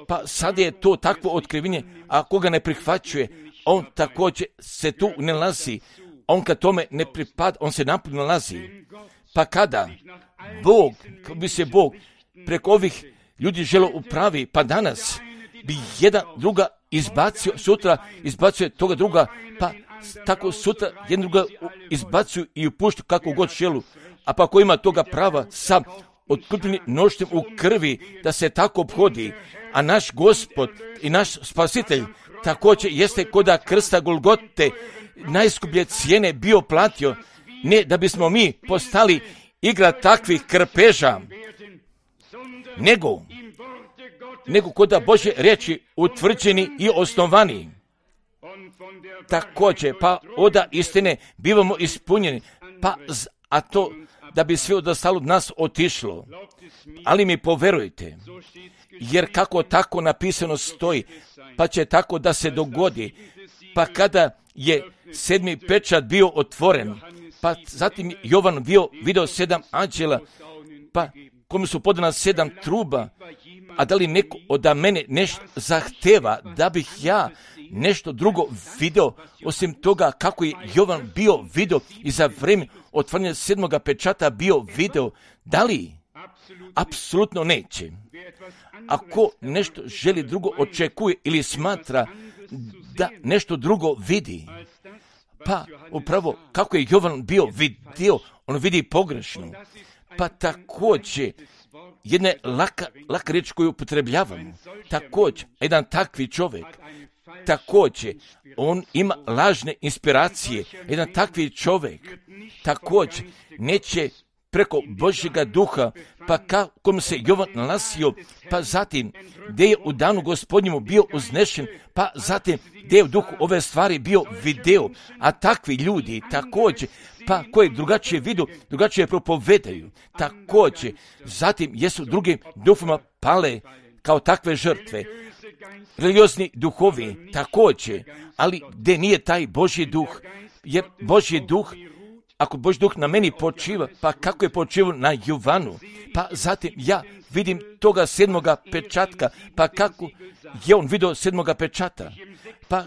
pa sad je to takvo otkrivenje, a koga ne prihvaćuje, on također se tu ne nalazi, on kad tome ne pripada, on se napuno nalazi. Pa kada bi se Bog preko ovih ljudi želo upravi, pa danas bi jedan druga izbacio, sutra izbacuje toga druga, pa tako sutra jedan druga izbacuju i upuštu kako god želu, a pa ko ima toga prava sa otkupljenim noštem u krvi da se tako obhodi, a naš Gospod i naš Spasitelj također jeste koda krsta Golgote najskuplje cijene bio platio, ne da bismo mi postali igra takvih krpeža, nego koda Božje riječi utvrđeni i osnovani. Također, pa oda istine bivamo ispunjeni, a to da bi sve ostalo od nas otišlo. Ali mi poverujte, jer kako tako napisano stoji, pa će tako da se dogodi, pa kada je 7. pečat bio otvoren, pa zatim Jovan video 7 anđela, pa komu su podana 7 truba, a da li neko od mene nešto zahteva da bih ja nešto drugo video, osim toga kako je Jovan bio video i za vrijeme otvaranja 7. pečata bio video, da li? Apsolutno neće. Ako nešto želi drugo očekuje ili smatra da nešto drugo vidi, pa upravo kako je Jovan bio vidio, on vidi pogrešno. Pa također, jedna laka riječ koju upotrebljavamo, također, jedan takvi čovjek, također, on ima lažne inspiracije, jedan takvi čovjek, također, neće preko Božjega duha, pa kako se Jovan nalazio, pa zatim gdje je u danu Gospodnjemu bio uznešen, pa zatim gdje je u duhu ove stvari bio video, a takvi ljudi također, pa koji drugačije vidu, drugačije propovedaju, također, zatim jesu drugim duhovima pale kao takve žrtve, religiozni duhovi također, ali gdje nije taj Božji duh, jer Božji duh, ako Božji duh na meni počiva, pa kako je počivao na Jovanu, pa zatim ja vidim toga 7. pečatka, pa kako je on vidio 7. pečata, pa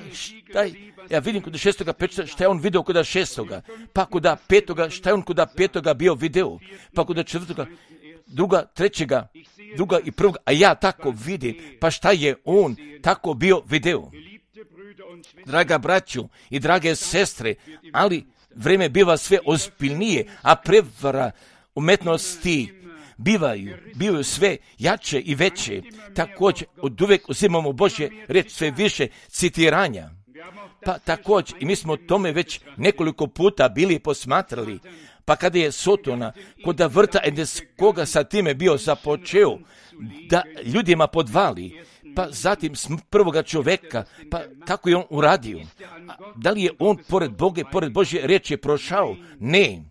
ja vidim kod 6. pečata šta je on vidio kod 6. pa kod 5. šta je on kod 5. bio video, pa kod 4. druga, 3. druga i 1. a ja tako vidim, pa šta je on tako bio video. Draga braću i drage sestre, ali vrijeme biva sve ozbiljnije, a prevara umetnosti bivaju sve jače i veće. Također, od uvijek uzimamo Božje riječ sve više citiranja. Pa također, i mi smo o tome već nekoliko puta bili posmatrali, pa kada je Sotona kod vrta Edenskoga sa time bio započeo da ljudima podvali, pa zatim prvoga čovjeka, pa kako je on uradio? Da li je on pored Boga, pored Božje riječi prošao? Ne.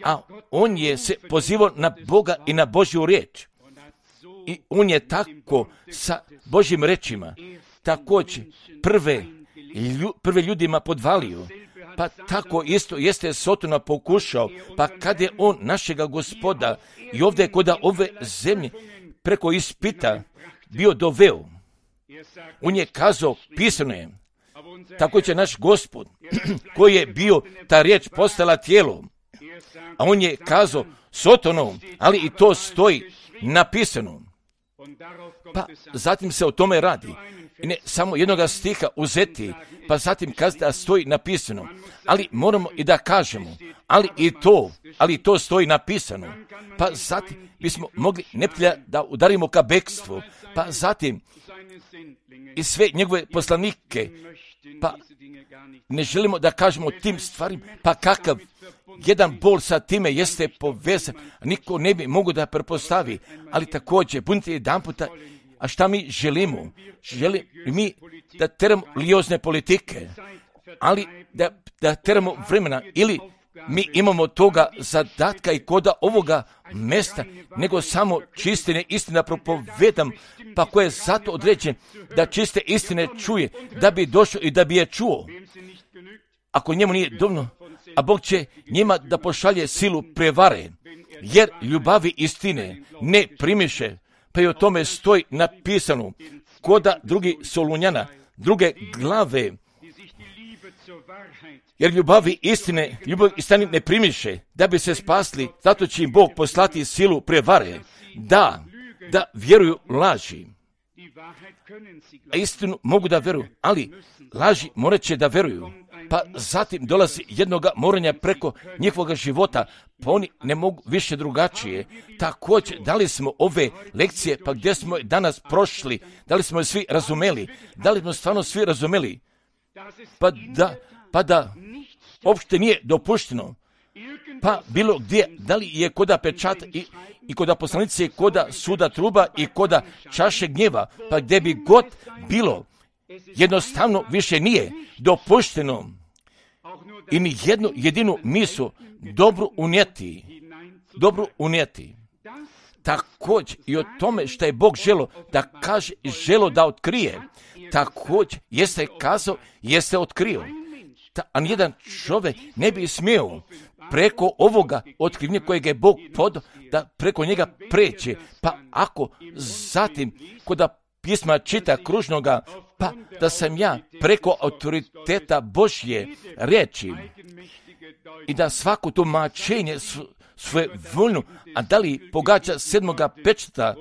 A on je se pozivao na Boga i na Božju riječ. I on je tako sa Božjim rečima također prve ljudima podvalio. Pa tako isto jeste Sotona pokušao, pa kad je on našega Gospoda i ovdje kod ove zemlje preko ispita bio doveo, on je kazao, pisano je, tako će naš Gospod, koji je bio, ta riječ postala tijelo, a on je kazao Sotonom, ali i to stoji napisano. Pa zatim se o tome radi. i ne samo jednoga stiha uzeti, pa zatim kazati da stoji napisano, ali moramo i da kažemo, ali to stoji napisano, pa zatim bismo mogli neprijatelja da udarimo ka bekstvu, pa zatim i sve njegove poslanike, pa ne želimo da kažemo tim stvarima, pa kakav jedan bol sa time jeste povezan, niko ne bi mogu da prepostavi, ali također budite jedan puta, a šta mi želimo? Želimo mi da teramo liozne politike, ali da teramo vremena, ili mi imamo toga zadatka i koda ovoga mesta, nego samo čistine istina propovedam, pa ko je zato određen da čiste istine čuje, da bi došao i da bi je čuo. Ako njemu nije dovoljno, a Bog će njima da pošalje silu prevare, jer ljubavi istine ne primiše, pa i o tome stoji napisano, koda drugi Solunjana, druge glave, jer ljubavi istine ne primiše, da bi se spasli, zato će im Bog poslati silu prevare, da vjeruju laži. A istinu mogu da vjeruju, ali laži morat će da vjeruju. Pa zatim dolazi jednoga moranja preko njihovog života, pa oni ne mogu više drugačije. Također, da li smo ove lekcije, pa gdje smo danas prošli, da li smo je svi razumeli, da li smo stvarno svi razumeli, pa da uopšte nije dopušteno, pa bilo gdje, da li je koda pečata i koda poslanice, koda suda truba i koda čaše gnjeva, pa gdje bi god bilo, jednostavno više nije dopušteno i ni jednu jedinu mislu dobro unijeti. Također i o tome što je Bog želo da kaže i želo da otkrije, također jeste kazao, jeste otkrio. A nijedan čovjek ne bi smio preko ovoga otkrivenja kojeg je Bog podao da preko njega pređe. Pa ako zatim koda pisma čita kružnoga, pa da sam ja preko autoriteta Božje riječi i da svako tumačenje svoje voljno, a da li pogađa 7. pečata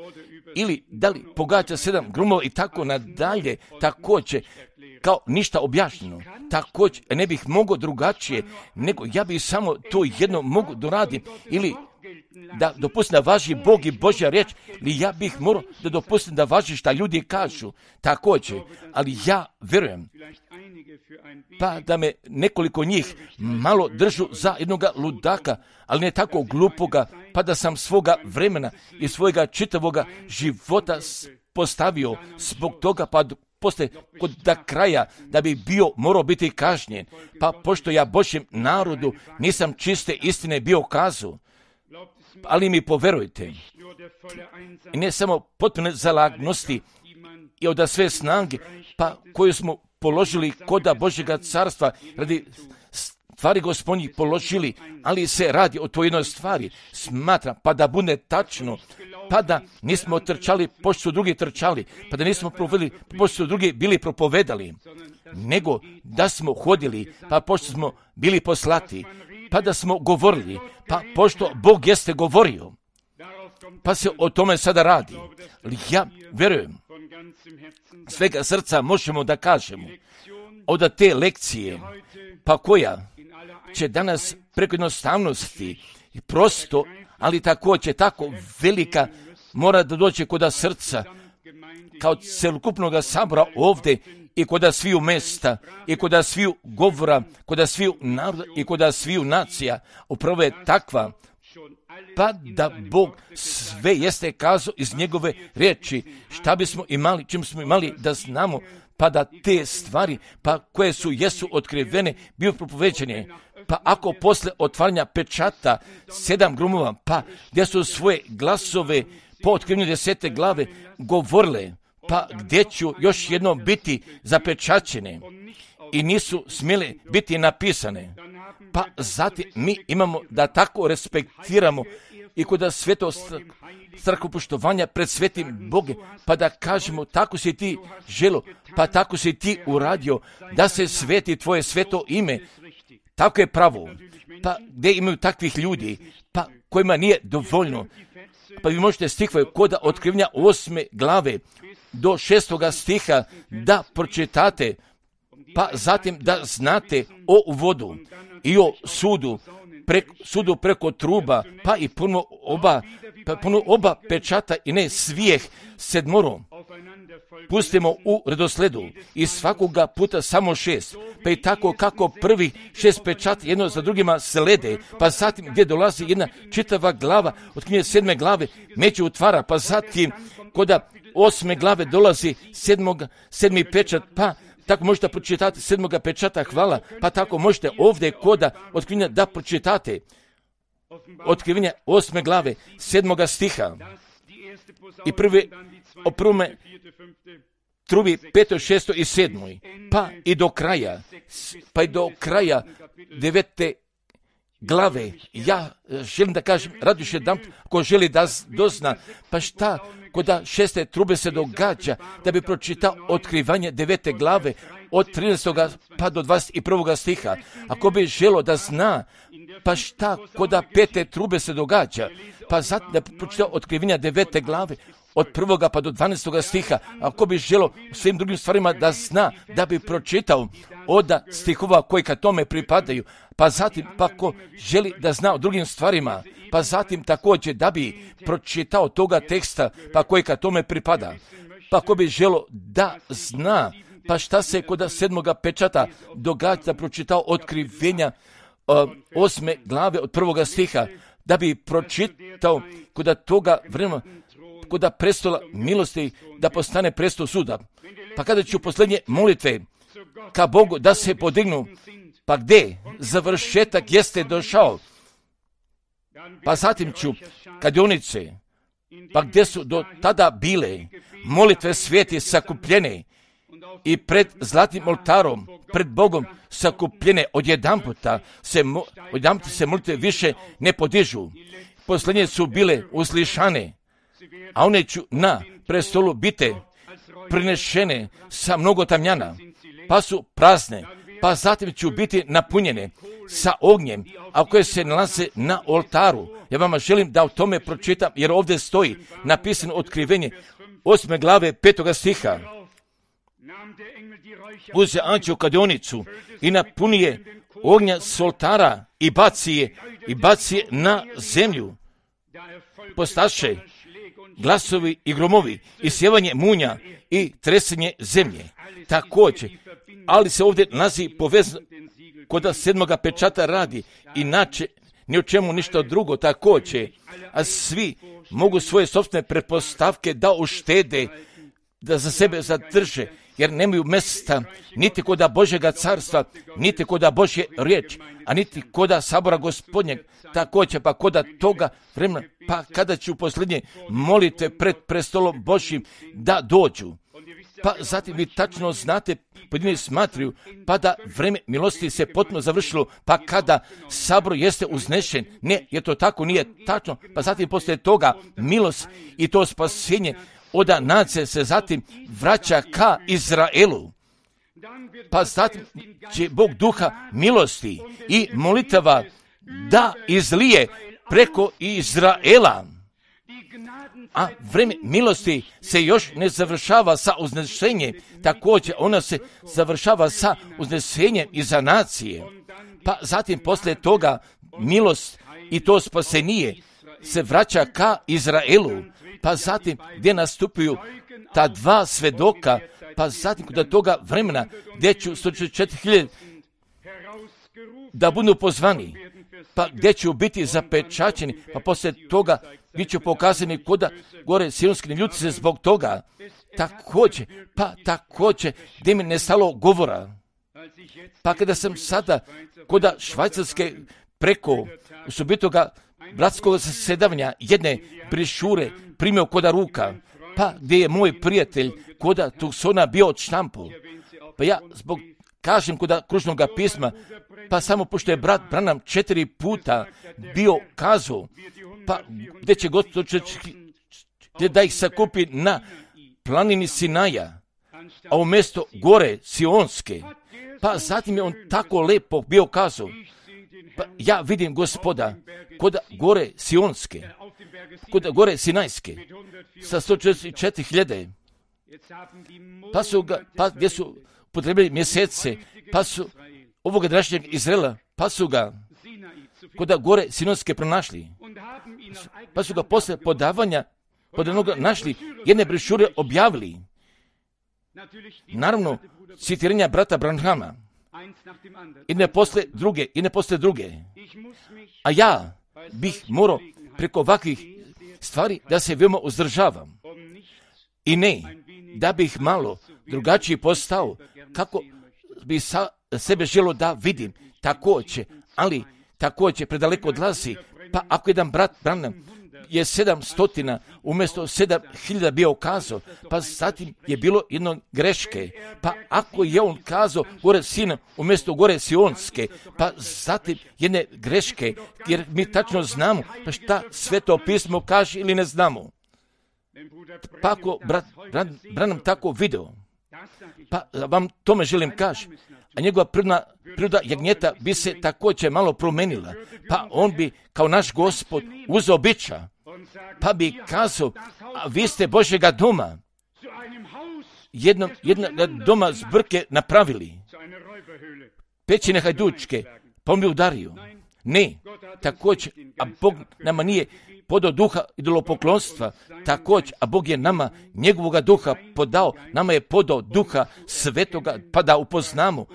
ili da li pogađa 7 grumova i tako nadalje, također kao ništa objašnjeno. Također ne bih mogao drugačije, nego ja bih samo to jedno mogu doraditi, ili da dopustim da važi Bog i Božja riječ, ili ja bih morao da dopustim da važi šta ljudi kažu. Također, ali ja vjerujem, pa da me nekoliko njih malo držu za jednoga ludaka, ali ne tako glupoga, pa da sam svoga vremena i svojega čitavoga života postavio zbog toga, pa poslije kod kraja da bi morao biti kažnjen, pa pošto ja Božjem narodu nisam čiste istine bio kazao, ali mi poverujte, i ne samo potpune zalagnosti i od sve snage, pa koju smo položili koda Božjega carstva, radi stvari Gospodnjih položili, ali se radi o toj jednoj stvari, smatram, pa da bude tačno, pa da nismo trčali pošto su drugi trčali, pa da nismo provedili pošto su drugi bili propovedali, nego da smo hodili, pa pošto smo bili poslati, pa da smo govorili, pa pošto Bog jeste govorio, pa se o tome sada radi. Ja vjerujem, svega srca možemo da kažemo, od te lekcije, pa koja će danas preko jednostavnosti i prosto, ali također tako velika, mora da dođe koda srca, kao celokupnog sabora ovdje i koda sviju mesta, i koda sviju govora, koda sviju naroda i koda sviju nacija. Upravo je takva, pa da Bog sve jeste kazao iz njegove riječi, šta bismo imali, čim smo imali da znamo, pa da te stvari, pa koje jesu otkrivene, bio propoveđene. Pa ako posle otvaranja pečata 7 grumova, pa gdje su svoje glasove po otkrivenju 10. glave govorile, pa gdje ću još jednom biti zapečaćene i nisu smjele biti napisane. Pa zatim mi imamo da tako respektiramo i kod sveto strahopoštovanja pred svetim Bogom, pa da kažemo tako si ti želo, pa tako si ti uradio da se sveti tvoje sveto ime. Tako je pravo. Pa gdje imaju takvih ljudi, pa kojima nije dovoljno. Pa vi možete stihove koda otkrivenja 8. glave, do 6. stiha da pročitate, pa zatim da znate o uvodu i o sudu preko truba, pa i puno oba pečata i ne svijeh 7. Pustimo u redosledu i svakoga puta samo 6, pa i tako kako prvi 6 pečata jedno za drugima slede, pa zatim gdje dolazi jedna čitava glava od knjige 7. glave među otvara, pa zatim koda 8. glave dolazi 7. pečat, pa tako možete pročitati 7. pečata, hvala, pa tako možete ovdje koda otkrivenja da pročitate otkrivenja 8. glave 7. stiha i o prvome trubi 5., 6. i 7. pa i do kraja 9. glave. Ja želim da kažem, radi još jedan, ko želi da dozna, pa šta koda 6. trube se događa, da bi pročitao otkrivanje 9. glave od 13. pa do 21. stiha. Ako bi želo da zna, pa šta koda 5. trube se događa, pa zatim da bi pročitao otkrivanje 9. glave od 1. pa do 12. stiha. Ako bi želo u svim drugim stvarima da zna, da bi pročitao od stihova koji ka tome pripadaju, pa zatim pa ko želi da zna o drugim stvarima, pa zatim također da bi pročitao toga teksta pa koji ka tome pripada, pa ako bi želo da zna, pa šta se kod 7. pečata događa, da pročitao otkrivenja 8. glave od 1. stiha, da bi pročitao kod toga vremena, kod prestola milosti, da postane prestol suda. Pa kada ću posljednje molitve ka Bogu da se podignu, pa gdje završetak jeste došao, pa zatim ću kadionice, pa gdje su do tada bile molitve svijeti sakupljene i pred zlatnim oltarom, pred Bogom sakupljene, odjedanputa se molitve više ne podižu. Posljednje su bile uslišane, a one ću na prestolu biti prinešene sa mnogo tamjana, pa su prazne, pa zatim ću biti napunjene sa ognjem, a koje se nalaze na oltaru. Ja vama želim da o tome pročitam, jer ovdje stoji napisano otkrivenje 8. glave 5. stiha. Uze anđeo kadionicu i napunije ognja s oltara i baci je na zemlju. Postaše glasovi i gromovi i sjevanje munja i tresenje zemlje. Također, ali se ovdje nalazi povezano kod 7. pečata radi, inače ni o čemu ništa drugo također, a svi mogu svoje sopstvene pretpostavke da uštede, da za sebe zadrže, jer nemaju mjesta niti koda Božjega carstva, niti koda Božje riječ, a niti koda sabora Gospodnjeg, također pa koda toga vremena, pa kada ću posljednje molite pred prestolom Božjim da dođu. Pa zatim vi tačno znate, pojedini smatruju, pa da vreme milosti se potpuno završilo, pa kada sabor jeste uznešen, ne, jer to tako nije tačno, pa zatim poslije toga milost i to spasenje od nacije se zatim vraća ka Izraelu. Pa zatim će Bog duha milosti i molitava da izlije preko Izraela. A vreme milosti se još ne završava sa uznešenjem, također ona se završava sa uznešenjem i za nacije. Pa zatim poslije toga milost i to spasenije se vraća ka Izraelu, pa zatim gdje nastupuju ta dva svedoka, pa zatim kod toga vremena gdje ću 144.000 da budu pozvani, pa gdje ću biti zapečaćeni, pa poslije toga bit ću pokazani koda gore sionski ljudi se zbog toga. Također, gdje mi ne stalo govora. Pa kada sam sada koda Švajcarske preko osobitoga bratskog zasedavanja jedne brišure primio koda ruka, pa gdje je moj prijatelj koda Tucsona bio od štampu. Pa ja zbog kažem koda kružnog pisma, pa samo pošto je brat Branham 4 puta bio kazao, pa gdje će Gospod da ih sakupi na planini Sinaja, a umjesto gore Sionske, pa zatim je on tako lepo bio kazao, pa ja vidim Gospoda kod gore Sionske, kod gore Sinajske, sa 144.000, pa su ga, pa gdje su potrebili mjesece, pa su ovoga današnjeg Izraela, pa su ga kod gore Sinonske pronašli, pa su ga posle podavanja pod onoga našli, jedne brošure objavili. Naravno, citiranja brata Branhama, i ne posle druge. A ja bih morao preko ovakvih stvari da se veoma uzdržavam. I ne, da bih malo drugačiji postao, kako bi sebe želo da vidim. Također predaleko odlazi. Pa ako jedan brat Branham je 700 umjesto 7000 bio kazao, pa zatim je bilo jedno greške, pa ako je on kazao gore Sina umjesto gore Sionske, pa zatim jedne greške, jer mi tačno znamo pa šta Sveto pismo kaže ili ne znamo. Pa ako brat Branham tako video, pa vam tome želim kaži, a njegova priroda jagnjeta bi se također malo promenila, pa on bi kao naš Gospod uzeo bića, pa bi kazao, a vi ste Božjega doma, jednog doma zbrke napravili, pećine hajdučke, pa on bi udario. Ne, također, a Bog nama nije podao duha idolopoklonstva, također, a Bog je nama njegovoga duha podao, nama je podao duha svetoga, pa da upoznamo.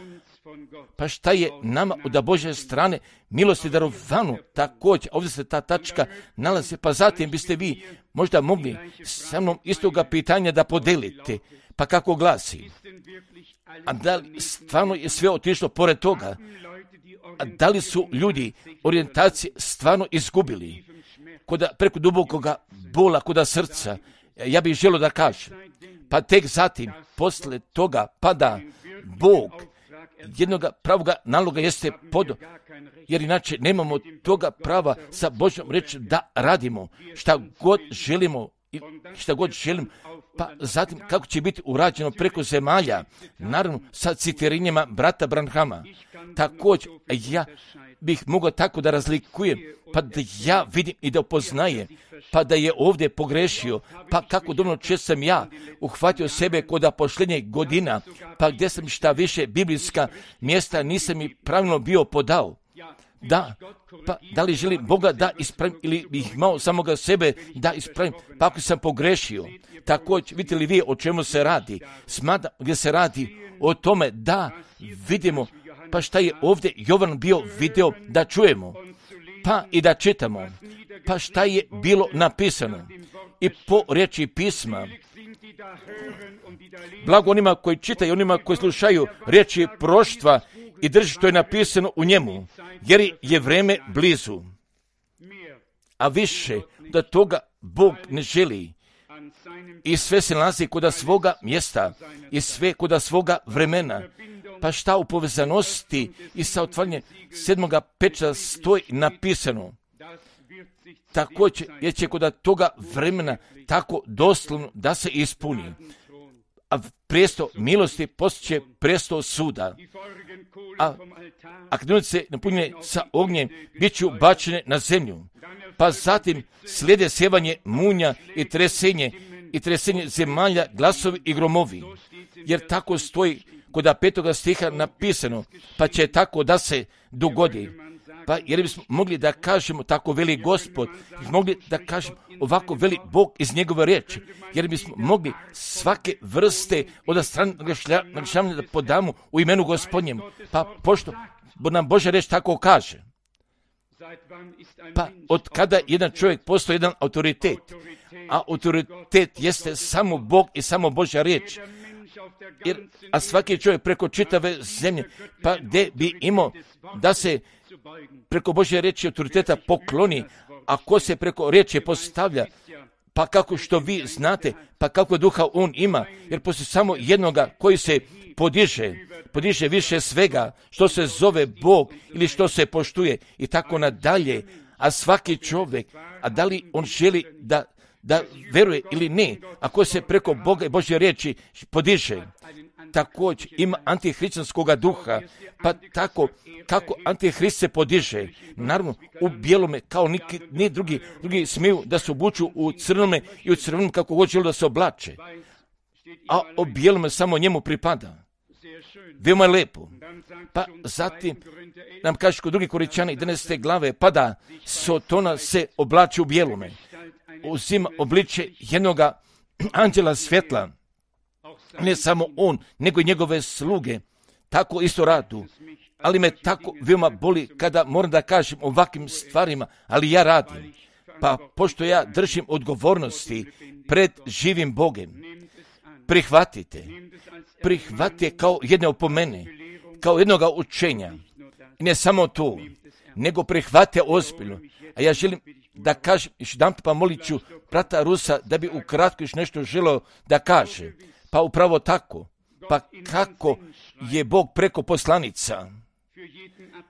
Pa šta je nama od Božje strane milosti darovanu, također, ovdje se ta tačka nalazi, pa zatim biste vi možda mogli sa mnom istoga pitanja da podelite, pa kako glasi, a da li stvarno je sve otišlo pored toga, a da li su ljudi orijentacije stvarno izgubili preko dubokoga bola koda srca, ja bih želio da kažem, pa tek zatim, posle toga, pa da Bog jednoga pravoga naloga jeste podao, jer inače nemamo toga prava sa Božjom reći da radimo šta god želimo, pa zatim kako će biti urađeno preko zemalja, naravno sa citirinjama brata Branhama. Također, ja bih mogao tako da razlikujem, pa da ja vidim i da upoznajem, pa da je ovdje pogrešio, pa kako dobro često sam ja uhvatio sebe kod pošljenjeg godina, pa gdje sam šta više biblijska mjesta nisam i pravilno bio podao. Da, pa da li želim Boga da ispravim ili bih imao samoga sebe da ispravim, pa ako sam pogrešio. Također, vidite li vi o čemu se radi? Smatram gdje se radi o tome da vidimo, pa šta je ovdje Jovan bio video da čujemo, pa i da čitamo, pa šta je bilo napisano i po riječi pisma. Blago onima koji čitaju, onima koji slušaju riječi proštva i drži što je napisano u njemu, jer je vrijeme blizu. A više da toga Bog ne želi. I sve se nalazi kod svoga mjesta i sve kod svoga vremena. Pa šta u povezanosti i sa otvaranjem 7. pečata stoji napisano. Također jer će kod toga vremena tako doslovno da se ispuni. A prijesto milosti postaće prijesto suda. A knunice napunjene sa ognjem bit će bačene na zemlju. Pa zatim slijede sjevanje munja i tresenje zemalja, glasovi i gromovi. Jer tako stoji kod 5. stiha napisano, pa će tako da se dogodi. Pa jer bismo mogli da kažemo tako veli Gospod, mogli da kažemo ovako veli Bog iz njegove riječi, jer bismo mogli svake vrste od strane naglašavanja da podamo u imenu Gospodnjem, pa pošto nam Božja riječ tako kaže. Pa od kada jedan čovjek postoji jedan autoritet, a autoritet jeste samo Bog i samo Božja riječ, a svaki čovjek preko čitave zemlje, pa gdje bi imao da se preko Božje riječi autoriteta pokloni, a ko se preko riječi postavlja, pa kako što vi znate, pa kako duha on ima, jer postoji samo jednoga koji se podiže više svega, što se zove Bog ili što se poštuje i tako nadalje, a svaki čovjek, a da li on želi da veruje ili ne, ako se preko Boga i Božje riječi podiže, također ima antihrišćanskoga duha, pa tako kako antihrist se podiže, naravno u bijelome kao ni drugi smiju da se obuču u crnome i u crvenom kako god žele da se oblače. a o bijelome samo njemu pripada. Veoma je lepo. Pa zatim nam kaže kod 2. Korinćana 11. glave, pa da Sotona se oblači u bijelome, uzima obliče jednoga anđela svjetla. Ne samo on, nego i njegove sluge tako isto radu. Ali me tako veoma boli kada moram da kažem ovakvim stvarima, ali ja radim. Pa pošto ja držim odgovornosti pred živim Bogem, prihvatite kao jedne opomene, kao jednoga učenja. I ne samo to, nego prihvatite ozbiljno. A ja želim da kažem, još jedan pa molit ću brata Rusa da bi ukratko još nešto želeo da kaže. Pa upravo tako. Pa kako je Bog preko poslanica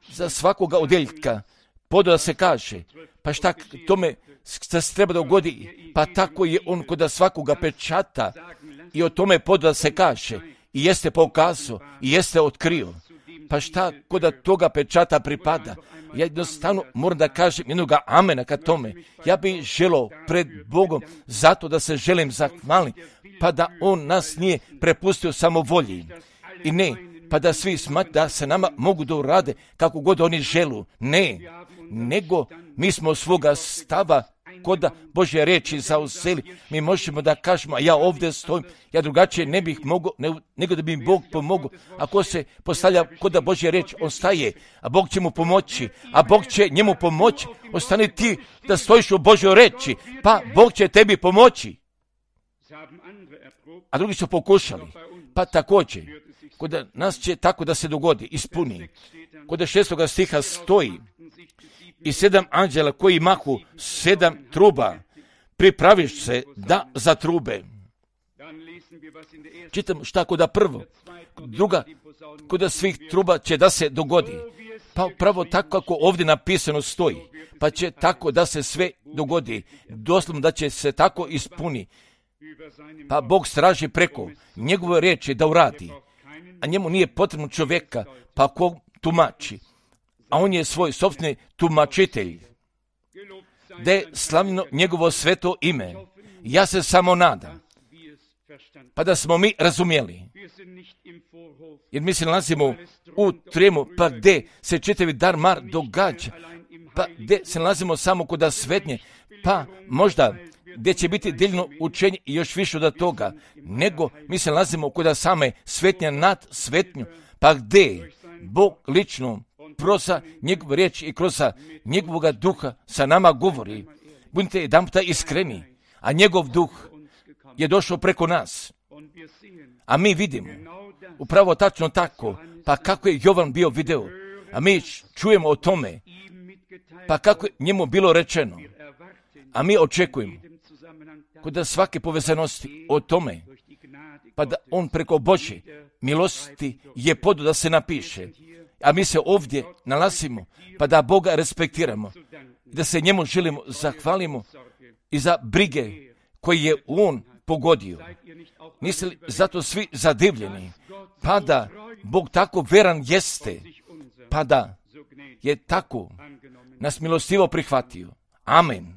za svakoga odjeljka podao da se kaže, pa šta tome se treba dogodi, pa tako je on kod svakoga pečata i o tome podao da se kaže i jeste pokazao i jeste otkrio. Pa šta kod toga pečata pripada? Ja jednostavno moram da kažem jednoga amena ka tome. Ja bih želio pred Bogom zato da se želim zahvaliti, pa da on nas nije prepustio samovolji. I ne, pa da svi smatraju da se nama mogu da urade kako god oni želu. Ne, nego mi smo svoga stava kod Božje riječi zauzeli. Mi možemo da kažemo, a ja ovdje stojim, ja drugačije ne bih mogao, nego da bi mi Bog pomogao. Ako se postavlja kod Božje riječi, on staje, a Bog će mu pomoći, a Bog će njemu pomoći. Ostani ti da stojiš u Božjoj riječi, pa Bog će tebi pomoći. A drugi su pokušali, pa također, kod nas će tako da se dogodi, ispuni. Kod 6. stiha stoji i 7 anđela koji mahu 7 truba, pripraviš se da za trube. Čitam šta kod prvo, druga, kod svih truba će da se dogodi. Pa pravo tako kako ovdje napisano stoji, pa će tako da se sve dogodi, doslovno da će se tako ispuni. Pa Bog straži preko njegove riječi da uradi, a njemu nije potrebno čovjeka, pa ko tumači, a on je svoj sopstveni tumačitelj. Da je slavljeno njegovo sveto ime. Ja se samo nadam, pa da smo mi razumjeli. Jer mi se nalazimo u tremu, pa gdje se čitavi dar mar događa, pa gdje se nalazimo samo kod svetnje, pa možda gdje će biti deljno učenje i još više od toga, nego mi se nalazimo kod same svetnja nad svetnju, pa gdje Bog lično kroz njegov riječ i kroz njegovog duha sa nama govori. Budite jedan puta iskreni, a njegov duh je došao preko nas. A mi vidimo, upravo tačno tako, pa kako je Jovan bio video, a mi čujemo o tome, pa kako je njemu bilo rečeno, a mi očekujemo kod svake povezanosti o tome, pa da on preko Božje milosti je podao da se napiše, a mi se ovdje nalazimo, pa da Boga respektiramo, da se njemu želimo zahvalimo i za brige koje je on pogodio. Niste li zato svi zadivljeni, pa da Bog tako veran jeste, pa da je tako nas milostivo prihvatio. Amen.